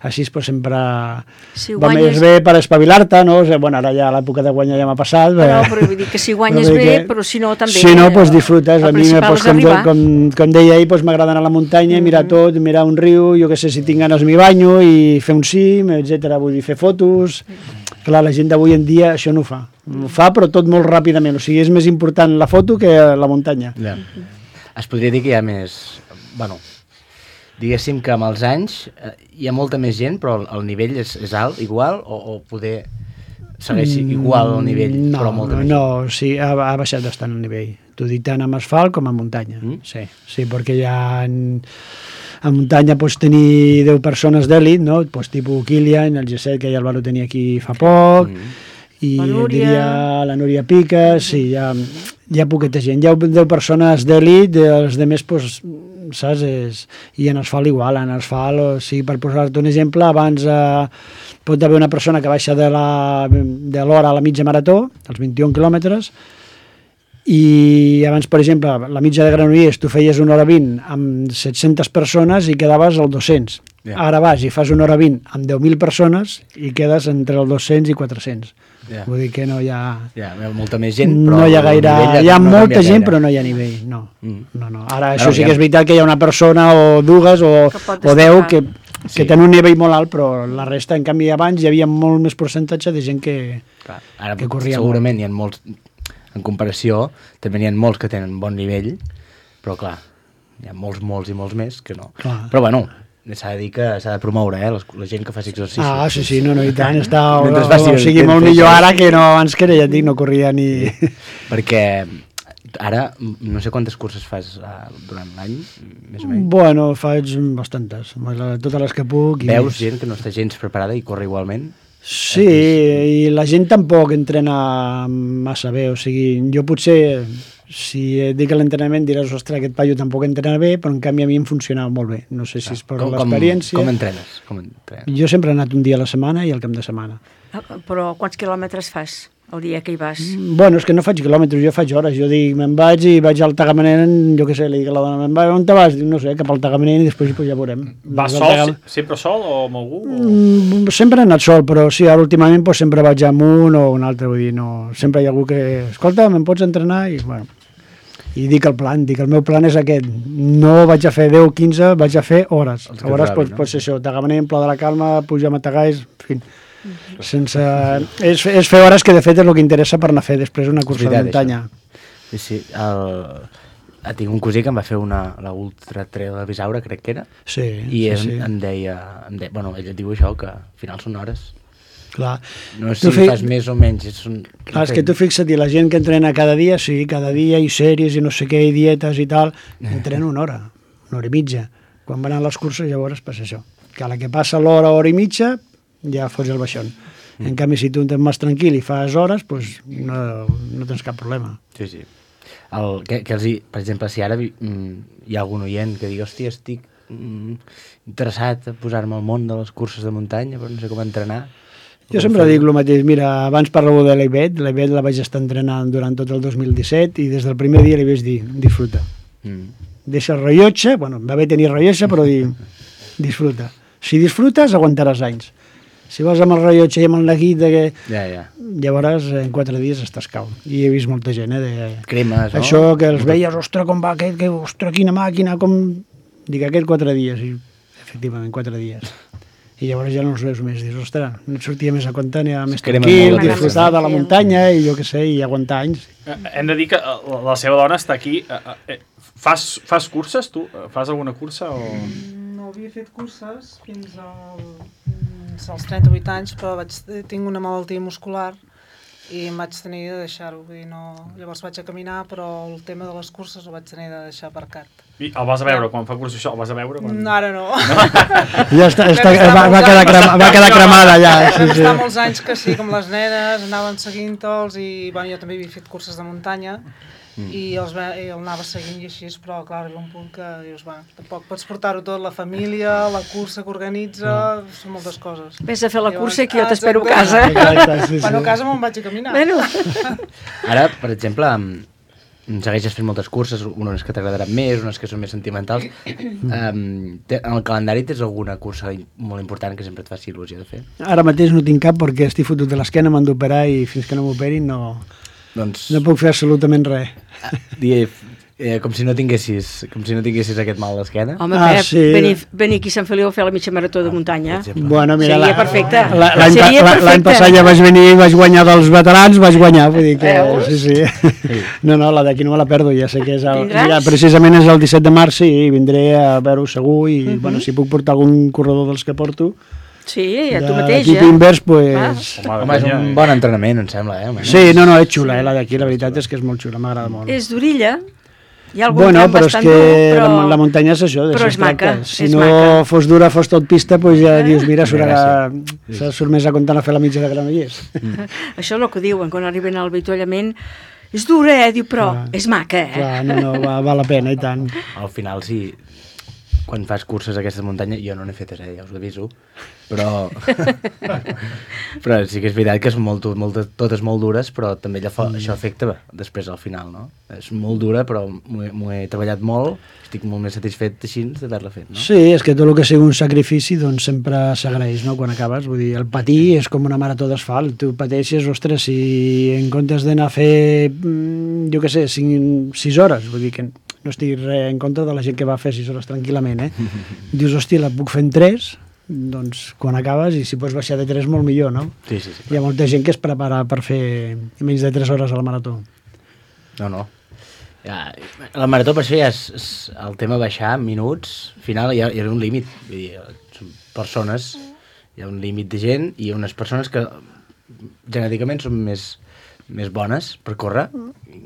així pues, sempre Si va guanyes- més bé per espavilar-te, no? O sigui, bueno, ara ja l'època de guanyar ja m'ha passat. Però vull dir que si guanyes però vull bé, dir però si no també... Si no, doncs disfrutes. el A mi, principal doncs, és arribar. com deia ahir, doncs, m'agrada anar a la muntanya, mirar tot, mirar un riu, jo que sé, si tinc ganes m'hi banyo i fer un cim, etc. Vull dir, fer fotos... Clar, la gent d'avui en dia això no ho fa. Ho fa, però tot molt ràpidament. O sigui, és més important la foto que la muntanya. Ja. Es podria dir que hi ha més... Bueno, diguéssim que amb els anys hi ha molta més gent, però el nivell és alt, igual, o poder segueix igual el nivell, no, però molta més no, sí, ha baixat bastant el nivell. T'ho dic tant amb asfalt com amb muntanya. Sí, sí, perquè ja a muntanya pots tenir 10 persones d'èlit, no? Pues, tipus Kilian, el G7, que ja el va tenir aquí fa poc, i diria la Núria Pica, sí, hi ha poqueta gent. Hi ha 10 persones d'èlit, els altres, pues, saps? I en asfalt igual, en asfalt, o sigui, per posar-te un exemple, abans pot haver una persona que baixa de l'hora a la mitja marató, els 21 quilòmetres, i abans, per exemple, la mitja de Granollers tu feies 1 hora 20 amb 700 persones i quedaves al 200. Ara vas i fas 1 hora 20 amb 10.000 persones i quedes entre el 200 i 400. Vull dir que no hi ha... hi ha molta més gent, però... No hi ha gaire... Hi ha molta gent, gaire. però no hi ha nivell, no. No. Ara, això sí que és veritat que hi ha una persona o dues o 10 que tenen un nivell molt alt, però la resta, en canvi, abans hi havia molt més percentatge de gent que corria segurament molt. Hi ha molts... En comparació, també n'hi ha molts que tenen bon nivell, però clar, hi ha molts i molts més que no. Clar. Però bueno, s'ha de dir que s'ha de promoure, la gent que faci exercici. Ah, sí, no, i tant, està o sigui molt millor ara que no abans, que ja et dic, no corria ni... Perquè ara, no sé quantes curses fas durant l'any, més o menys. Bueno, faig bastantes, totes les que puc. Veus gent que no està gens preparada i corre igualment? Sí, i la gent tampoc entrena massa bé, o sigui, jo potser, si et dic l'entrenament diràs, ostres, aquest paio tampoc entrena bé, però en canvi a mi em funcionava molt bé, no sé si és per l'experiència. Com entrenes? Jo sempre he anat un dia a la setmana i al cap de setmana. Però quants quilòmetres fas el dia que hi vas? Bueno, és que no faig quilòmetres, jo faig hores. Jo dic, me'n vaig i vaig al Tagamanent, jo què sé, li dic a la dona, me'n vaig, on te vas? Dic, no sé, cap al Tagamanent i després pues, ja veurem. Vas sol, sempre sol o amb algú? Sempre he anat sol, però sí, ara últimament pues, sempre vaig amb un o un altre, vull dir, no, sempre hi ha algú que, escolta, me'n pots entrenar? I bueno, i dic el meu plan és aquest, no vaig a fer 10 o 15, vaig a fer hores. Hores pot ser això, Tagamanent, Pla de la Calma, pujar a Matagalls, en fi. Sense... És fer hores que de fet és el que interessa per anar a fer després una cursa de muntanya. Sí, tinc un cosí que em va fer la Ultra Trail de Bisaura, crec que era, i em deia, bueno, ell et diu això, que al final són hores. Clar. No sé si fas més o menys. Clar, és que tu fixa't, la gent que entrena cada dia, sí, cada dia, i sèries i no sé què, i dietes i tal, entrena una hora i mitja. Quan van a les curses llavors passa això, que a la que passa l'hora i mitja ja fots el baixón. En canvi, si tu ets més tranquil i fas hores, doncs no tens cap problema. Sí. Per exemple, si ara hi ha algun oient que digui, hòstia, estic interessat a posar-me al món de les curses de muntanya, però no sé com entrenar. Jo sempre dic el mateix, mira, abans parlo de l'Ivet la vaig estar entrenant durant tot el 2017 i des del primer dia li vaig dir, disfruta. Deixa el rellotge, bueno, va bé tenir rellotge, però disfruta. Si disfrutes, aguantaràs anys. Si vas amb el rellotge i amb el neguit, llavors en 4 dies estàs cau. I he vist molta gent, cremes, no? Això que els veies, ostres, com va aquest, ostres, quina màquina, com... Dic, aquest 4 dies, i efectivament 4 dies. I llavors ja no els veus més, dius, ostres, no et sortia més a compte, ni més tranquil, disfrutar de la muntanya i jo què sé, i aguantar anys. Hem de dir que la seva dona està aquí. Fas curses, tu? Fas alguna cursa? No havia fet curses fins als 38 anys, però tinc una malaltia muscular i em vaig tenir de deixar-ho. Llavors vaig a caminar, però el tema de les curses ho vaig tenir de deixar aparcat. I el vas a veure quan fa curses això? El vas a veure? Ara no. Ja va quedar cremada ja. Fa molts anys que sí, com les nenes, anaven seguint-los i jo també havia fet curses de muntanya i el anava seguint i així, però clar, arriba un punt que dius, tampoc pots portar-ho tot, la família, la cursa que organitza, són moltes coses. Vés a fer la cursa que jo t'espero a casa. Bueno, a casa me'n vaig a caminar. Ara, per exemple, segueixes fent moltes curses, unes que t'agradaran més, unes que són més sentimentals. En el calendari tens alguna cursa molt important que sempre et faci il·lusió de fer? Ara mateix no tinc cap perquè estic fotut de l'esquena, m'han d'operar i fins que no m'operin no puc fer absolutament res. Com si no tinguessis aquest mal d'esquena. Home, Pep, venir aquí a Sant Feliu a fer la mitja marató de muntanya. Bueno, mira, seria perfecte. L'any passat ja vaig venir i vaig guanyar dels veterans, vaig guanyar, vull dir que sí. No, la d'aquí no me la perdo, ja sé que és precisament és el 17 de març, sí, vindré a veure-ho segur i, bueno, si puc portar algun corredor dels que porto. Sí, a tu mateix, L'equip invers, pues... Home, és un bon entrenament, em sembla, Sí, no, és xula, la d'aquí, la veritat és que és molt xula, m'agrada molt. És d'orilla. Hi ha algun bueno, tram però és bastant que dur, però... la muntanya és això, però és maca, si no fos dura, fos tot pista, doncs ja dius, mira, surt més a comptar a fer la mitja de Granollers. Això és el que diuen, quan arriben al avituallament, és dura, diu, però és maca, Clar, no, val la pena, i tant. Al final, sí, quan fas curses a aquesta muntanya, jo no n'he fetes, ja us ho aviso, però sí que és veritat que són totes molt dures, però també això afecta després al final, no? És molt dura, però m'ho he treballat molt, estic molt més satisfet així d'haver-la fet, no? Sí, és que tot el que sigui un sacrifici doncs sempre s'agraeix, no?, quan acabes. Vull dir, el patir és com una marató d'asfalt. Tu pateixes, ostres, si en comptes d'anar a fer, jo què sé, 6 hores, vull dir que no estic en contra de la gent que va fer 6 hores tranquil·lament, dius, hòstia, la puc fer en 3, doncs quan acabes, i si pots baixar de 3 molt millor, no? Sí. Hi ha molta gent que es prepara per fer menys de 3 hores a la marató. No. La marató per això ja és el tema baixar minuts, al final hi ha un límit, vull dir, són persones, hi ha un límit de gent i unes persones que genèticament són més bones per córrer.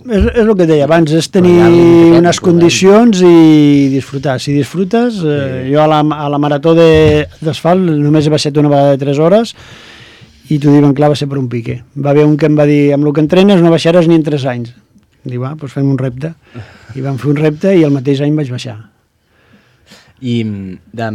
És el que deia abans, és tenir unes condicions i disfrutar. Si disfrutes, jo a la marató d'asfalt només he baixat una vegada de 3 hores i t'ho diuen clar, va ser per un pique. Va haver un que em va dir, amb el que entrenes no baixaràs ni en 3 anys. Diu, doncs fem un repte. I vam fer un repte i el mateix any vaig baixar. I, clar,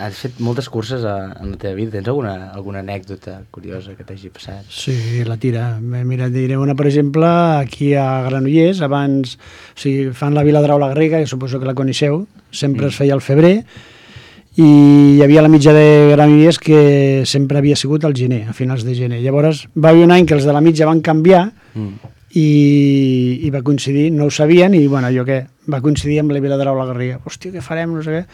has fet moltes curses en la teva vida. Tens alguna anècdota curiosa que t'hagi passat? Sí, la tira. Mira, diré una, per exemple, aquí a Granollers, abans, o sigui, fan la Viladrau la Garriga, que suposo que la coneixeu, sempre es feia al febrer, i hi havia la mitja de Granollers que sempre havia sigut al gener, a finals de gener. Llavors, va haver un any que els de la mitja van canviar, i va coincidir, no ho sabien, i bueno, va coincidir amb la Viladrau la Garriga. Hòstia, què farem, no sé què.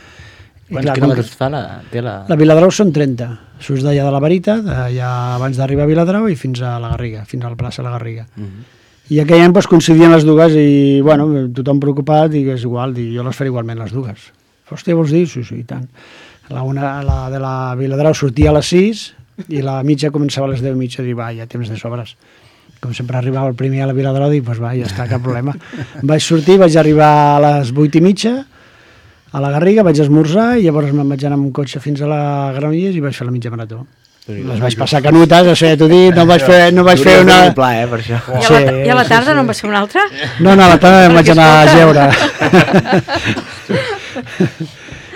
Quants quilòmetres fa la... La Viladrau són 30. Surts d'allà de la Veritat, allà abans d'arribar a Viladrau, i fins a la Garriga, fins a la plaça la Garriga. I aquell any coincidien les dues i, bueno, tothom preocupat, i és igual, jo les faré igualment les dues. Hòstia, vols dir? Sí, i tant. La de la Viladrau sortia a les 6 i la mitja començava a les 10:30, i va, ja temps de sobres. Com sempre arribava el primer a la Viladrau, dic, doncs va, ja està, cap problema. Vaig sortir, vaig arribar a les 8:30 a la Garriga, vaig esmorzar i llavors me'n vaig anar amb un cotxe fins a la Granollers i vaig fer la mitja marató. Les vaig passar canutes, això ja t'ho dic, no vaig fer una... per això. I a la tarda no en vas fer una altra? No, a la tarda em vaig anar a jeure.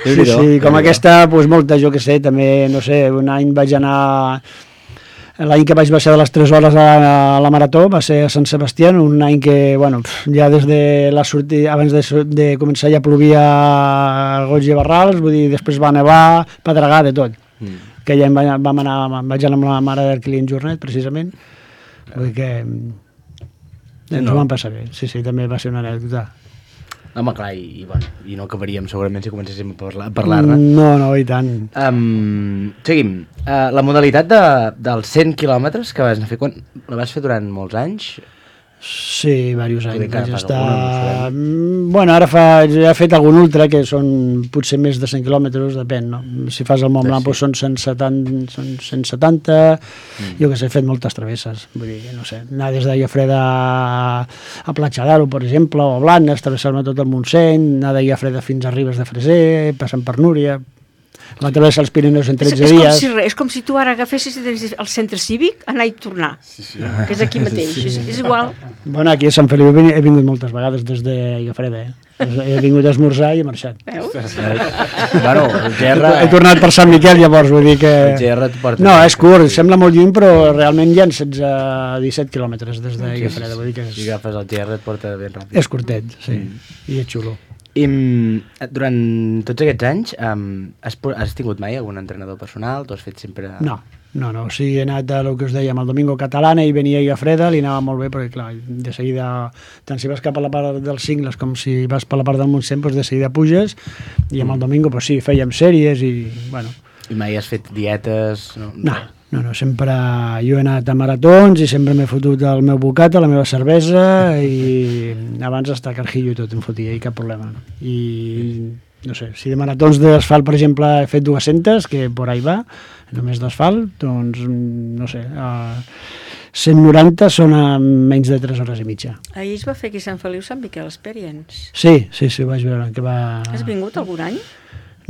Sí, com aquesta, doncs molta, jo que sé, també, no sé, un any vaig anar... L'any que vaig baixar de les 3 hores a la marató va ser a Sant Sebastià, un any que, bueno, ja des de la sortida, abans de començar ja plovia goig i barrals, vull dir, després va nevar, pedregar, de tot. Aquell any vaig anar amb la mare d'Arquilí en Jornet, precisament, vull dir que ens ho vam passar bé. Sí, també va ser una anècdota. Home, clar, i no acabaríem segurament si comencéssim a parlar-ne. No, i tant. Seguim. La modalitat dels 100 quilòmetres que vas anar a fer, la vas fer durant molts anys? Sí, diversos anys. Vaig estar... Bueno, ara he fet algun ultra, que són potser més de 100 quilòmetres, depèn, no? Si fas el Mont Blanc són 170, jo que sé, he fet moltes travesses, vull dir, no sé, anar des de Llafreda a Platja d'Aro, per exemple, o a Blanes, travessar-me tot el Montseny, anar de Llafreda fins a Ribes de Freser, passant per Núria... La travessa als Pirineus en 13 dies. És com si tu ara agafessis el centre cívic, anar i tornar, que és aquí mateix, és igual. Bueno, aquí a Sant Feliu he vingut moltes vegades des de Llafreda, He vingut a esmorzar i he marxat. Veus? Bueno, el GR... He tornat per Sant Miquel, llavors, vull dir que... El GR et porta... No, és curt, sembla molt lluny, però realment hi ha 17 quilòmetres des d'Aigua Freda, vull dir que és... Si agafes el GR et porta ben ràpid. És curtet, sí, i és xulo. I durant tots aquests anys has tingut mai algun entrenador personal? Tu has fet sempre... No, o sigui, he anat a el que us dèiem, el Domingo Catalana, i venia a Aigua Freda, li anava molt bé, perquè clar, de seguida, tant si vas cap a la part dels Cingles com si vas per la part del Montseny, doncs de seguida puges, i amb el Domingo, doncs sí, fèiem sèries i, bueno... I mai has fet dietes? No, sempre jo he anat a maratons i sempre m'he fotut el meu bocata, la meva cervesa, i abans hasta carjillo i tot em fotia, i cap problema. I no sé, si de maratons d'asfalt, per exemple, he fet 200, que por ahí va, només d'asfalt, doncs, no sé, 190 són a menys de 3 hores i mitja. Ahir es va fer aquí a Sant Feliu Sant Miquel Experience. Sí, ho vaig veure. Que va... Has vingut algun any?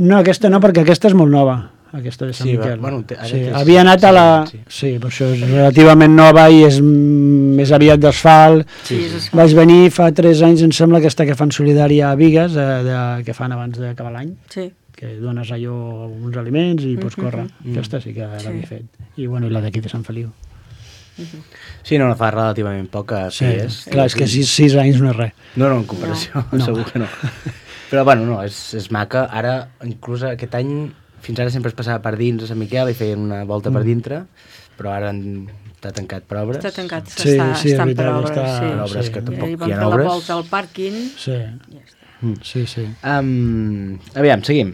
No, aquesta no, perquè aquesta és molt nova. Aquesta de Sant Miquel. Bueno, havia anat a la... Sí, per això és relativament nova i és més aviat d'asfalt. Vaig venir fa 3 anys, em sembla, aquesta que fan solidària a Bigues, que fan abans d'acabar l'any, que dones allò uns aliments i pots córrer. Aquesta sí que l'havia fet. I bueno, i la d'aquí de Sant Feliu. Sí, no fa relativament poc a Pies. Clar, és que 6 anys no és res. No, en comparació, segur que no. Però bueno, no, és maca. Ara, inclús aquest any, fins ara sempre es passava per dins a Sant Miquel i feien una volta per dintre, però ara està tancat per obres. Està tancat, estan per obres. Per obres que tampoc hi ha obres. I van fer la volta al pàrquing. Sí. Aviam, seguim.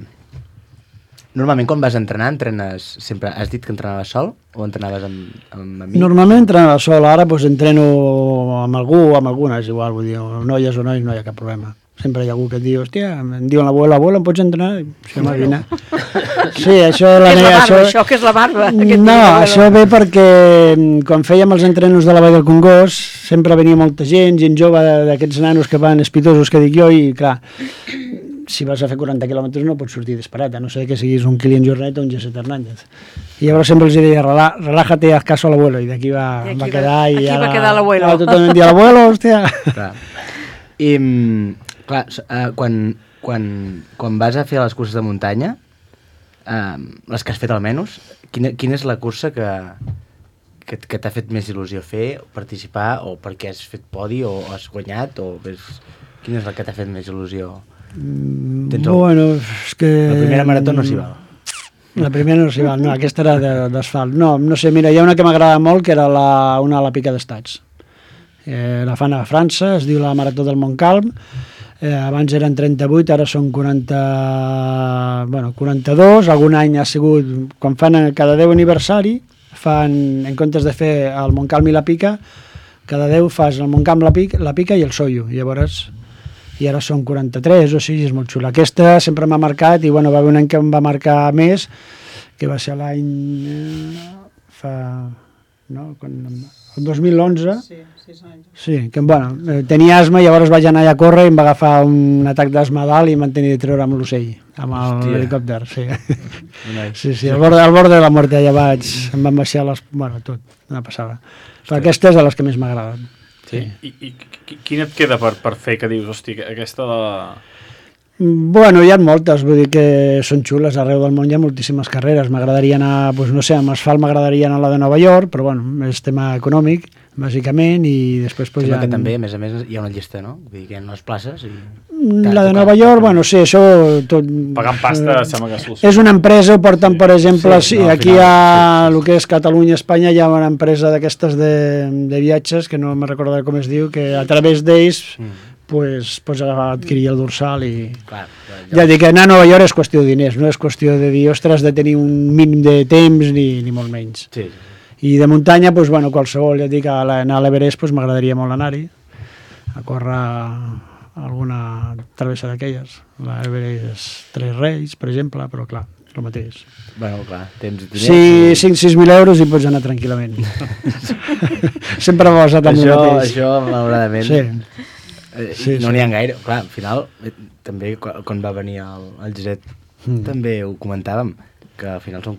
Normalment quan vas entrenar, entrenes sempre... Has dit que entrenaves sol o entrenaves amb amics? Normalment entrenava sol, ara doncs entreno amb algú o amb alguna, és igual, vull dir, noies o nois no hi ha cap problema. Sempre hi ha algú que et diu, hòstia, em diuen l'abuela, em pots entrenar? Sí, home, vine. Sí, això... Això que és la barba. No, això ve perquè quan fèiem els entrenos de la Vall del Congost sempre venia molta gent jove d'aquests nanos que van espitosos que dic jo, i clar, si vas a fer 40 quilòmetres no pots sortir disparat, a no ser que siguis un Kilian Jornet o un José Hernández. I llavors sempre els deia, relájate, haz caso a l'abuelo, i d'aquí va quedar... Aquí va quedar l'abuelo. Tothom em dia l'abuelo, hòstia. I... Clar, quan vas a fer les curses de muntanya, les que has fet almenys, quina és la cursa que t'ha fet més il·lusió fer, participar, o perquè has fet podi, o has guanyat, quina és la que t'ha fet més il·lusió? Bueno, és que... La primera marató no s'hi val. La primera no s'hi val, no, aquesta era d'asfalt. No sé, mira, hi ha una que m'agrada molt, que era una a la Pica d'Estats. La fan a França, es diu la Marató del Montcalm. Abans eren 38, ara són 42, algun any ha sigut, quan fan cada 10 aniversari, en comptes de fer el Montcalm i la Pica, cada 10 fas el Montcalm, la Pica i el Soyo, i ara són 43, o sigui, és molt xula. Aquesta sempre m'ha marcat, i va haver un any que em va marcar més, que va ser l'any... el 2011. Sí, 6 anys. Sí, que tenia asma, llavors vaig anar allà a córrer i em va agafar un atac d'asma dalt i m'han tenit de treure amb l'ocell, amb l'helicòpter, sí. Sí, al bord de la mort allà em van baixar tot, una passada. Però aquesta és de les que més m'agraden. Sí. I quina et queda per fer que dius, hosti, aquesta de... Bueno, hi ha moltes, vull dir que són xules, arreu del món hi ha moltíssimes carreres. M'agradaria anar, doncs no sé, amb asfalt m'agradaria anar a la de Nova York, però bueno, és tema econòmic, bàsicament, i després... Sembla que també, a més, hi ha una llista, no? Vull dir que hi ha unes places... La de Nova York, bueno, sí, això... Pagant pasta, sembla que és solució. És una empresa, ho porten, per exemple, aquí a el que és Catalunya, Espanya, hi ha una empresa d'aquestes de viatges, que no me recordo com es diu, que a través d'ells pots adquirir el dorsal i... Ja dic que anar a Nova York és qüestió de diners, no és qüestió de dir, ostres, de tenir un mínim de temps ni molt menys. I de muntanya, qualsevol, ja dic, anar a l'Everest m'agradaria molt anar-hi, a córrer alguna travessa d'aquelles. L'Everest 3 Reis, per exemple, però clar, és el mateix. Bueno, clar, temps de diners... Sí, 5-6.000 euros i pots anar tranquil·lament. Sempre m'ha basat amb el mateix. Això, malauradament... Sí. No n'hi ha gaire, clar, al final també quan va venir el Giret també ho comentàvem, que al final són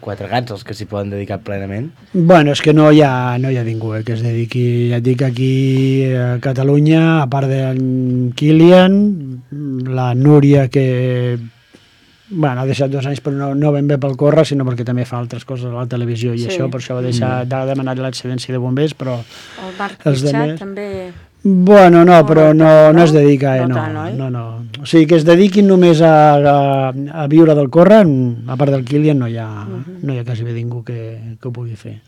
4 gats els que s'hi poden dedicar plenament. Bueno, és que no hi ha ningú que es dediqui. Ja et dic, aquí a Catalunya, a part d'en Kilian, la Núria, que bueno, ha deixat 2 anys, però no ben bé pel córrer, sinó perquè també fa altres coses a la televisió i això, per això ha demanat l'excedència de bombers, però... El Marc Pichat també... Bueno, no, però no es dedica, no. O sigui, que es dediquin només a viure del córrer, a part del Kilian, no hi ha quasi bé ningú que ho pugui fer.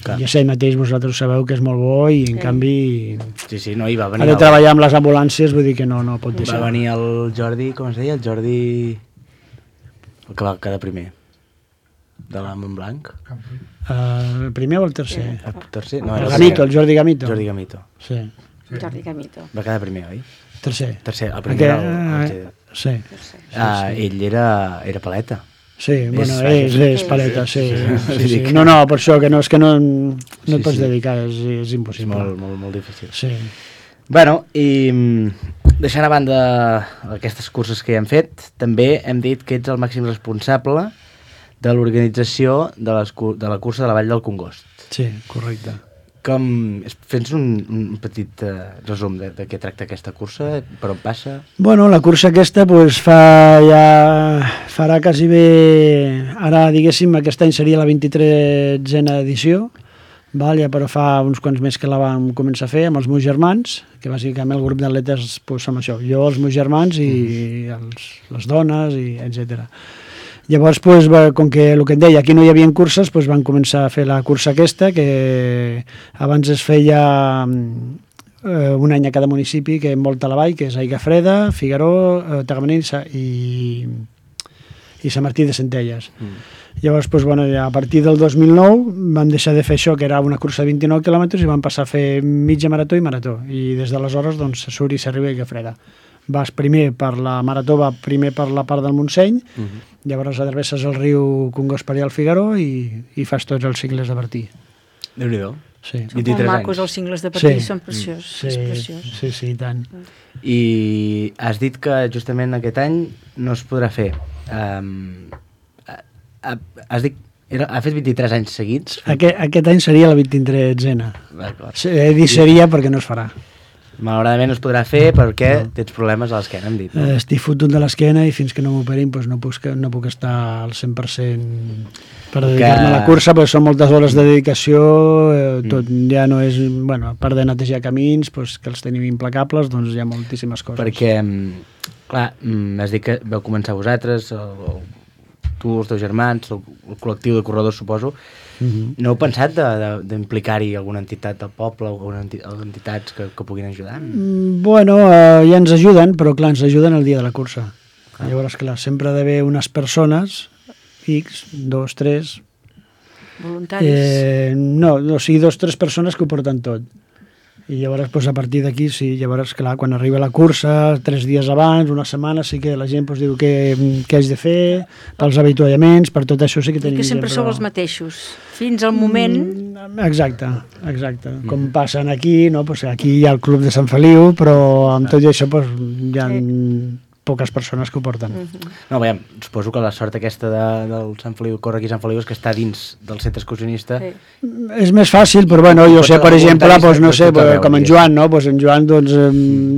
Clar. Ja sé, mateix vosaltres sabeu que és molt bo i, en canvi, Sí, no, hi va venir... ha de treballar amb les ambulàncies, vull dir que no pot deixar. Va venir el Jordi, com es deia? El Jordi... El que va quedar primer. De la Montblanc. El primer o el tercer? El tercer? No, el Gamito, el Jordi Gamito. Jordi Gamito. Sí. Jordi Gamito. Va quedar primer, oi? Tercer. El primer era sí. Ell era paleta. Sí, bueno, és paleta, sí. No, per això que no et pots dedicar, és impossible. Molt difícil. Sí. Bueno, i deixant a banda aquestes curses que ja hem fet, també hem dit que ets el màxim responsable de l'organització de la cursa de la Vall del Congost. Sí, correcte. Fes un petit resum de què tracta aquesta cursa, per on passa? Bueno, la cursa aquesta farà quasi bé, ara diguéssim, aquest any seria la 23a edició, ja però fa uns quants mesos que la vam començar a fer amb els meus germans, que bàsicament el grup d'atletes som això, jo, els meus germans i les dones, etc. Llavors, com que el que et deia, aquí no hi havia curses, van començar a fer la cursa aquesta, que abans es feia un any a cada municipi, que envolta la vall, que és Aiguafreda, Figaró, Tagamanent i Sant Martí de Centelles. Llavors, a partir del 2009 vam deixar de fer això, que era una cursa de 29 quilòmetres, i vam passar a fer mitja marató i marató. I des d'aleshores se surt i s'arriba a Aiguafreda. Vas primer per la marató, primer per la part del Montseny, llavors adreces el riu Congost per allà al Figaró i fas tots els cicles de Bertí. Déu-n'hi-do. Sí. Són molt macos els cingles de Bertí, són preciós. Sí, i tant. I has dit que justament aquest any no es podrà fer. Has dit, ha fet 23 anys seguits? Aquest any seria la 23a. D'acord. He dit seria perquè no es farà. Malauradament no es podrà fer perquè tens problemes a l'esquena, hem dit. No? Estic fotut de l'esquena i fins que no m'operin no puc estar al 100% per dedicar-me a la cursa, perquè són moltes hores de dedicació, tot ja no és... Bueno, a part de netejar camins, que els tenim implacables, doncs hi ha moltíssimes coses. Perquè, clar, has dit que vau començar vosaltres, tu, els teus germans, el col·lectiu de corredors, suposo. No heu pensat d'implicar-hi alguna entitat del poble o entitats que puguin ajudar? Bueno, ja ens ajuden, però clar, ens ajuden el dia de la cursa. Llavors, clar, sempre ha d'haver unes persones, X, 2, 3... Voluntaris? No, o sigui, 2 o 3 persones que ho porten tot. I llavors, a partir d'aquí, sí, llavors, clar, quan arriba la cursa, 3 dies abans, una setmana, sí que la gent diu què haig de fer, pels avituallaments, per tot això sí que tenim... I que sempre sou els mateixos, fins al moment... Exacte. Com passen aquí, no? Aquí hi ha el Club de Sant Feliu, però amb tot això hi ha poques persones que ho porten. No, veiem, suposo que la sort aquesta del Sant Feliu, corre aquí Sant Feliu, és que està dins del centre excursionista. És més fàcil, però bueno, jo sé, per exemple, no sé, com en Joan, no? En Joan, doncs,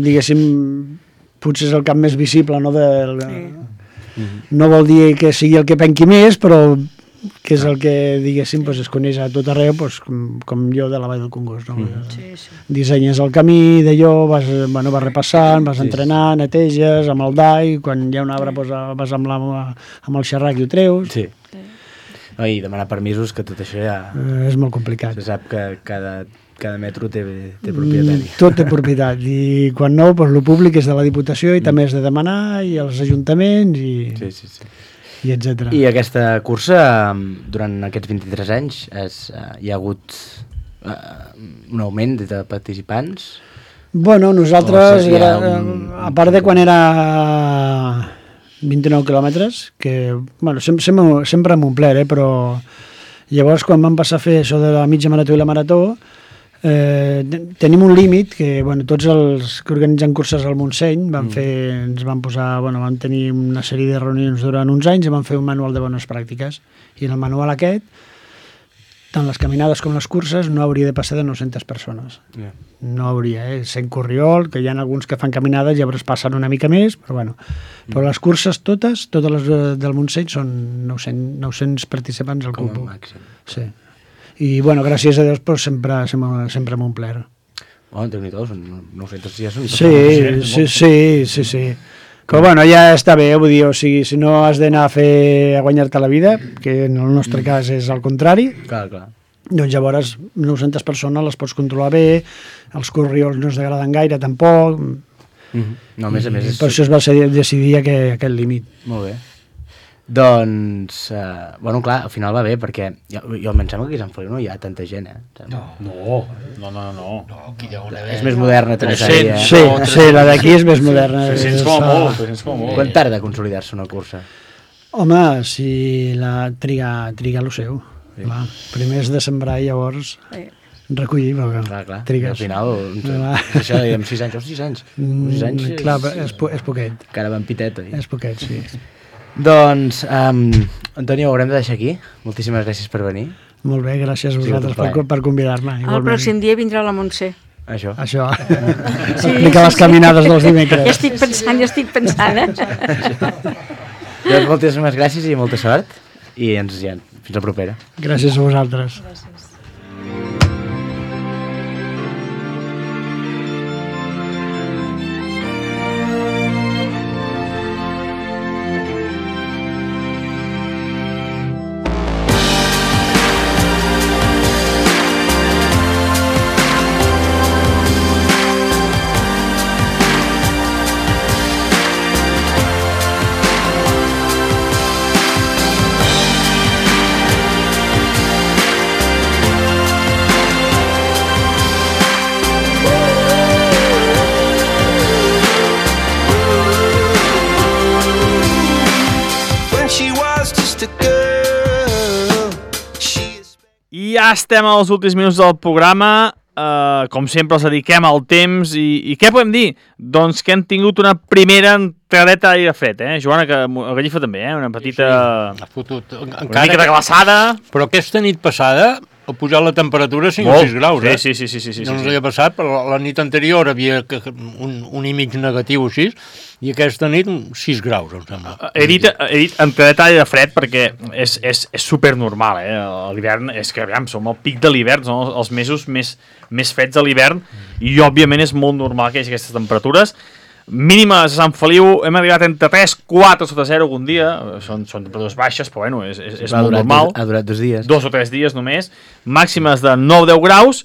diguéssim, potser és el cap més visible, no? No vol dir que sigui el que penqui més, però que és el que, diguéssim, es coneix a tot arreu, com jo de la Vall del Congost. Dissenyes el camí d'allò, vas repassant, vas entrenant, neteges, amb el dai, quan hi ha un arbre vas amb el xerrac i ho treus. Sí. I demanar permisos, que tot això ja... És molt complicat. Se sap que cada metro té propietari. Tot té propietat, i quan no, el públic és de la Diputació i també és de demanar, i els ajuntaments, i etc. I aquesta cursa, durant aquests 23 anys, hi ha hagut un augment de participants? Bueno, nosaltres, a part de quan era 29 quilòmetres, que sempre hem omplert, però llavors quan vam passar a fer això de la mitja marató i la marató, Tenim un límit que, bueno, tots els que organitzen curses al Montseny vam tenir una sèrie de reunions durant uns anys i vam fer un manual de bones pràctiques. I en el manual aquest, tant les caminades com les curses, no hauria de passar de 900 persones. No hauria, sent Corriol, que hi ha alguns que fan caminades, llavors passen una mica més, però bueno. Però les curses totes les del Montseny són 900 participants al cupo. Sí. I, bueno, gràcies a Déu, doncs, sempre m'ho omplert. Oh, Déu-n'hi-do, són 900 ja són... Sí. Però, bueno, ja està bé, vull dir, o sigui, si no has d'anar a guanyar-te la vida, que en el nostre cas és al contrari, clar. Doncs llavors 900 persones les pots controlar bé, els corriols no es degraden gaire, tampoc... No, a més... Per això es va decidir aquest límit. Molt bé. Doncs, bueno, clar, al final va bé, perquè jo em sembla que aquí a Sant Feliu no hi ha tanta gent, No. Aquí hi ha una... És més moderna, també. Sí, la d'aquí és més moderna. 300 com a molt. Quan tarda a consolidar-se una cursa? Home, si la triga el seu. Clar, primer és de sembrar i llavors recollir, però clar. Trigues. Al final, això dèiem 6 anys, 6 anys. 6 anys clar, és poquet. Encara van piteta. És poquet, sí. Doncs, Antonio, ho haurem de deixar aquí. Moltíssimes gràcies per venir. Molt bé, gràcies a vosaltres per convidar-me. El pròxim dia vindrà la Montse. Això. Explica les caminades dels dimecres. Ja estic pensant. Doncs moltíssimes gràcies i molta sort. I fins la propera. Gràcies a vosaltres. Gràcies. Ja estem als últims minuts del programa, com sempre els dediquem al temps i què podem dir? Doncs que hem tingut una primera entradeta d'aire fred, Joana, que a Gallifa també, una petita... Una mica de glaçada. Però aquesta nit passada ha pujat la temperatura 5 o 6 graus, Sí. No ens havia passat, però la nit anterior havia un i mig negatiu o 6, i aquesta nit 6 graus, em sembla. He dit entradeta d'aire fred perquè és supernormal, l'hivern és que, aviam, som al pic de l'hivern, són els mesos més freds de l'hivern, i òbviament és molt normal que hi hagi aquestes temperatures. Mínimes a Sant Feliu hem arribat entre 3, 4 sota 0 algun dia, són temperatures baixes, però bueno, és molt normal. Ha durat 2 dies. 2 o 3 dies només, màximes de 9-10 graus,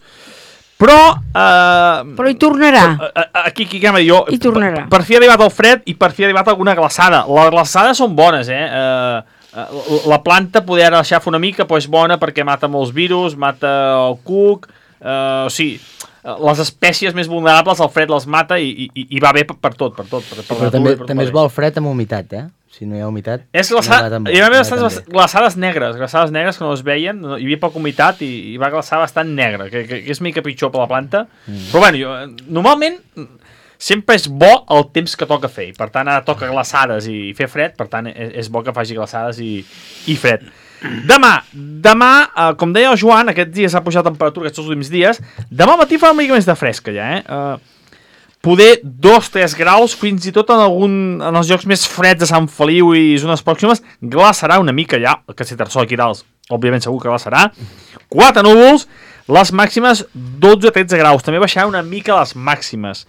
però... Però hi tornarà. Aquí jo, hi tornarà. Per fi ha arribat el fred i per fi ha arribat alguna glaçada. Les glaçades són bones, la planta poder ara deixar fer una mica, però és bona perquè mata molts virus, mata el cuc, o sigui... les espècies més vulnerables el fred les mata i va bé per tot. Però també es vol fred amb humitat, Si no hi ha humitat... Hi va haver bastants glaçades negres que no es veien, hi havia poca humitat i va glaçar bastant negre, que és mica pitjor per la planta. Però bueno, normalment sempre és bo el temps que toca fer, i per tant ara toca glaçades i fer fred, per tant és bo que faci glaçades i fred. Demà, com deia el Joan, aquests dies ha pujat la temperatura aquests últims dies, demà al matí fa una mica més de fresca ja, poder 2-3 graus, fins i tot en els llocs més freds de Sant Feliu i zones pròximes, glaçarà una mica ja, el Castellterçol aquí dalt, òbviament segur que glaçarà, 4 núvols, les màximes 12-13 graus, també baixarà una mica les màximes.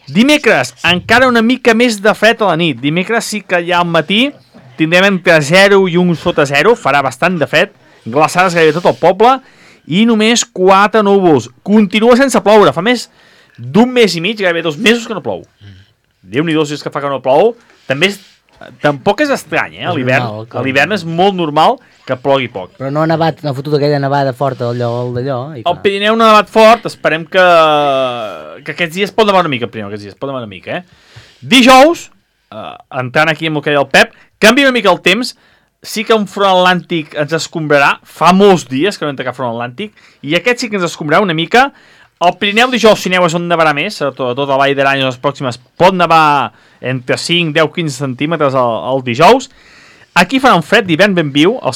Dimecres, encara una mica més de fred a la nit, dimecres sí que ja al matí tindrem entre 0 i 1 sota 0, farà bastant de fred, glaçades gairebé tot el poble, i només 4 núvols. Continua sense ploure, fa més d'un mes i mig, gairebé 2 mesos que no plou. Déu-n'hi-do si és que fa que no plou. Tampoc és estrany, a l'hivern és molt normal que plogui poc. Però no ha nevat, no ha fotut aquella nevada forta d'allò. El Pirineu no ha nevat fort, esperem que aquests dies pot nevar una mica, Dijous, entrant aquí amb el que deia el Pep, canvia una mica el temps, sí que un front atlàntic ens escombrarà, fa molts dies que no entra cap front atlàntic, i aquest sí que ens escombrarà una mica, Al Pirineu dijous, si aneu, és on nevarà més, a tota la Vall d'Aran les pròximes pot nevar entre 5, 10, 15 centímetres el dijous. Aquí farà un fred d'hivern ben viu, els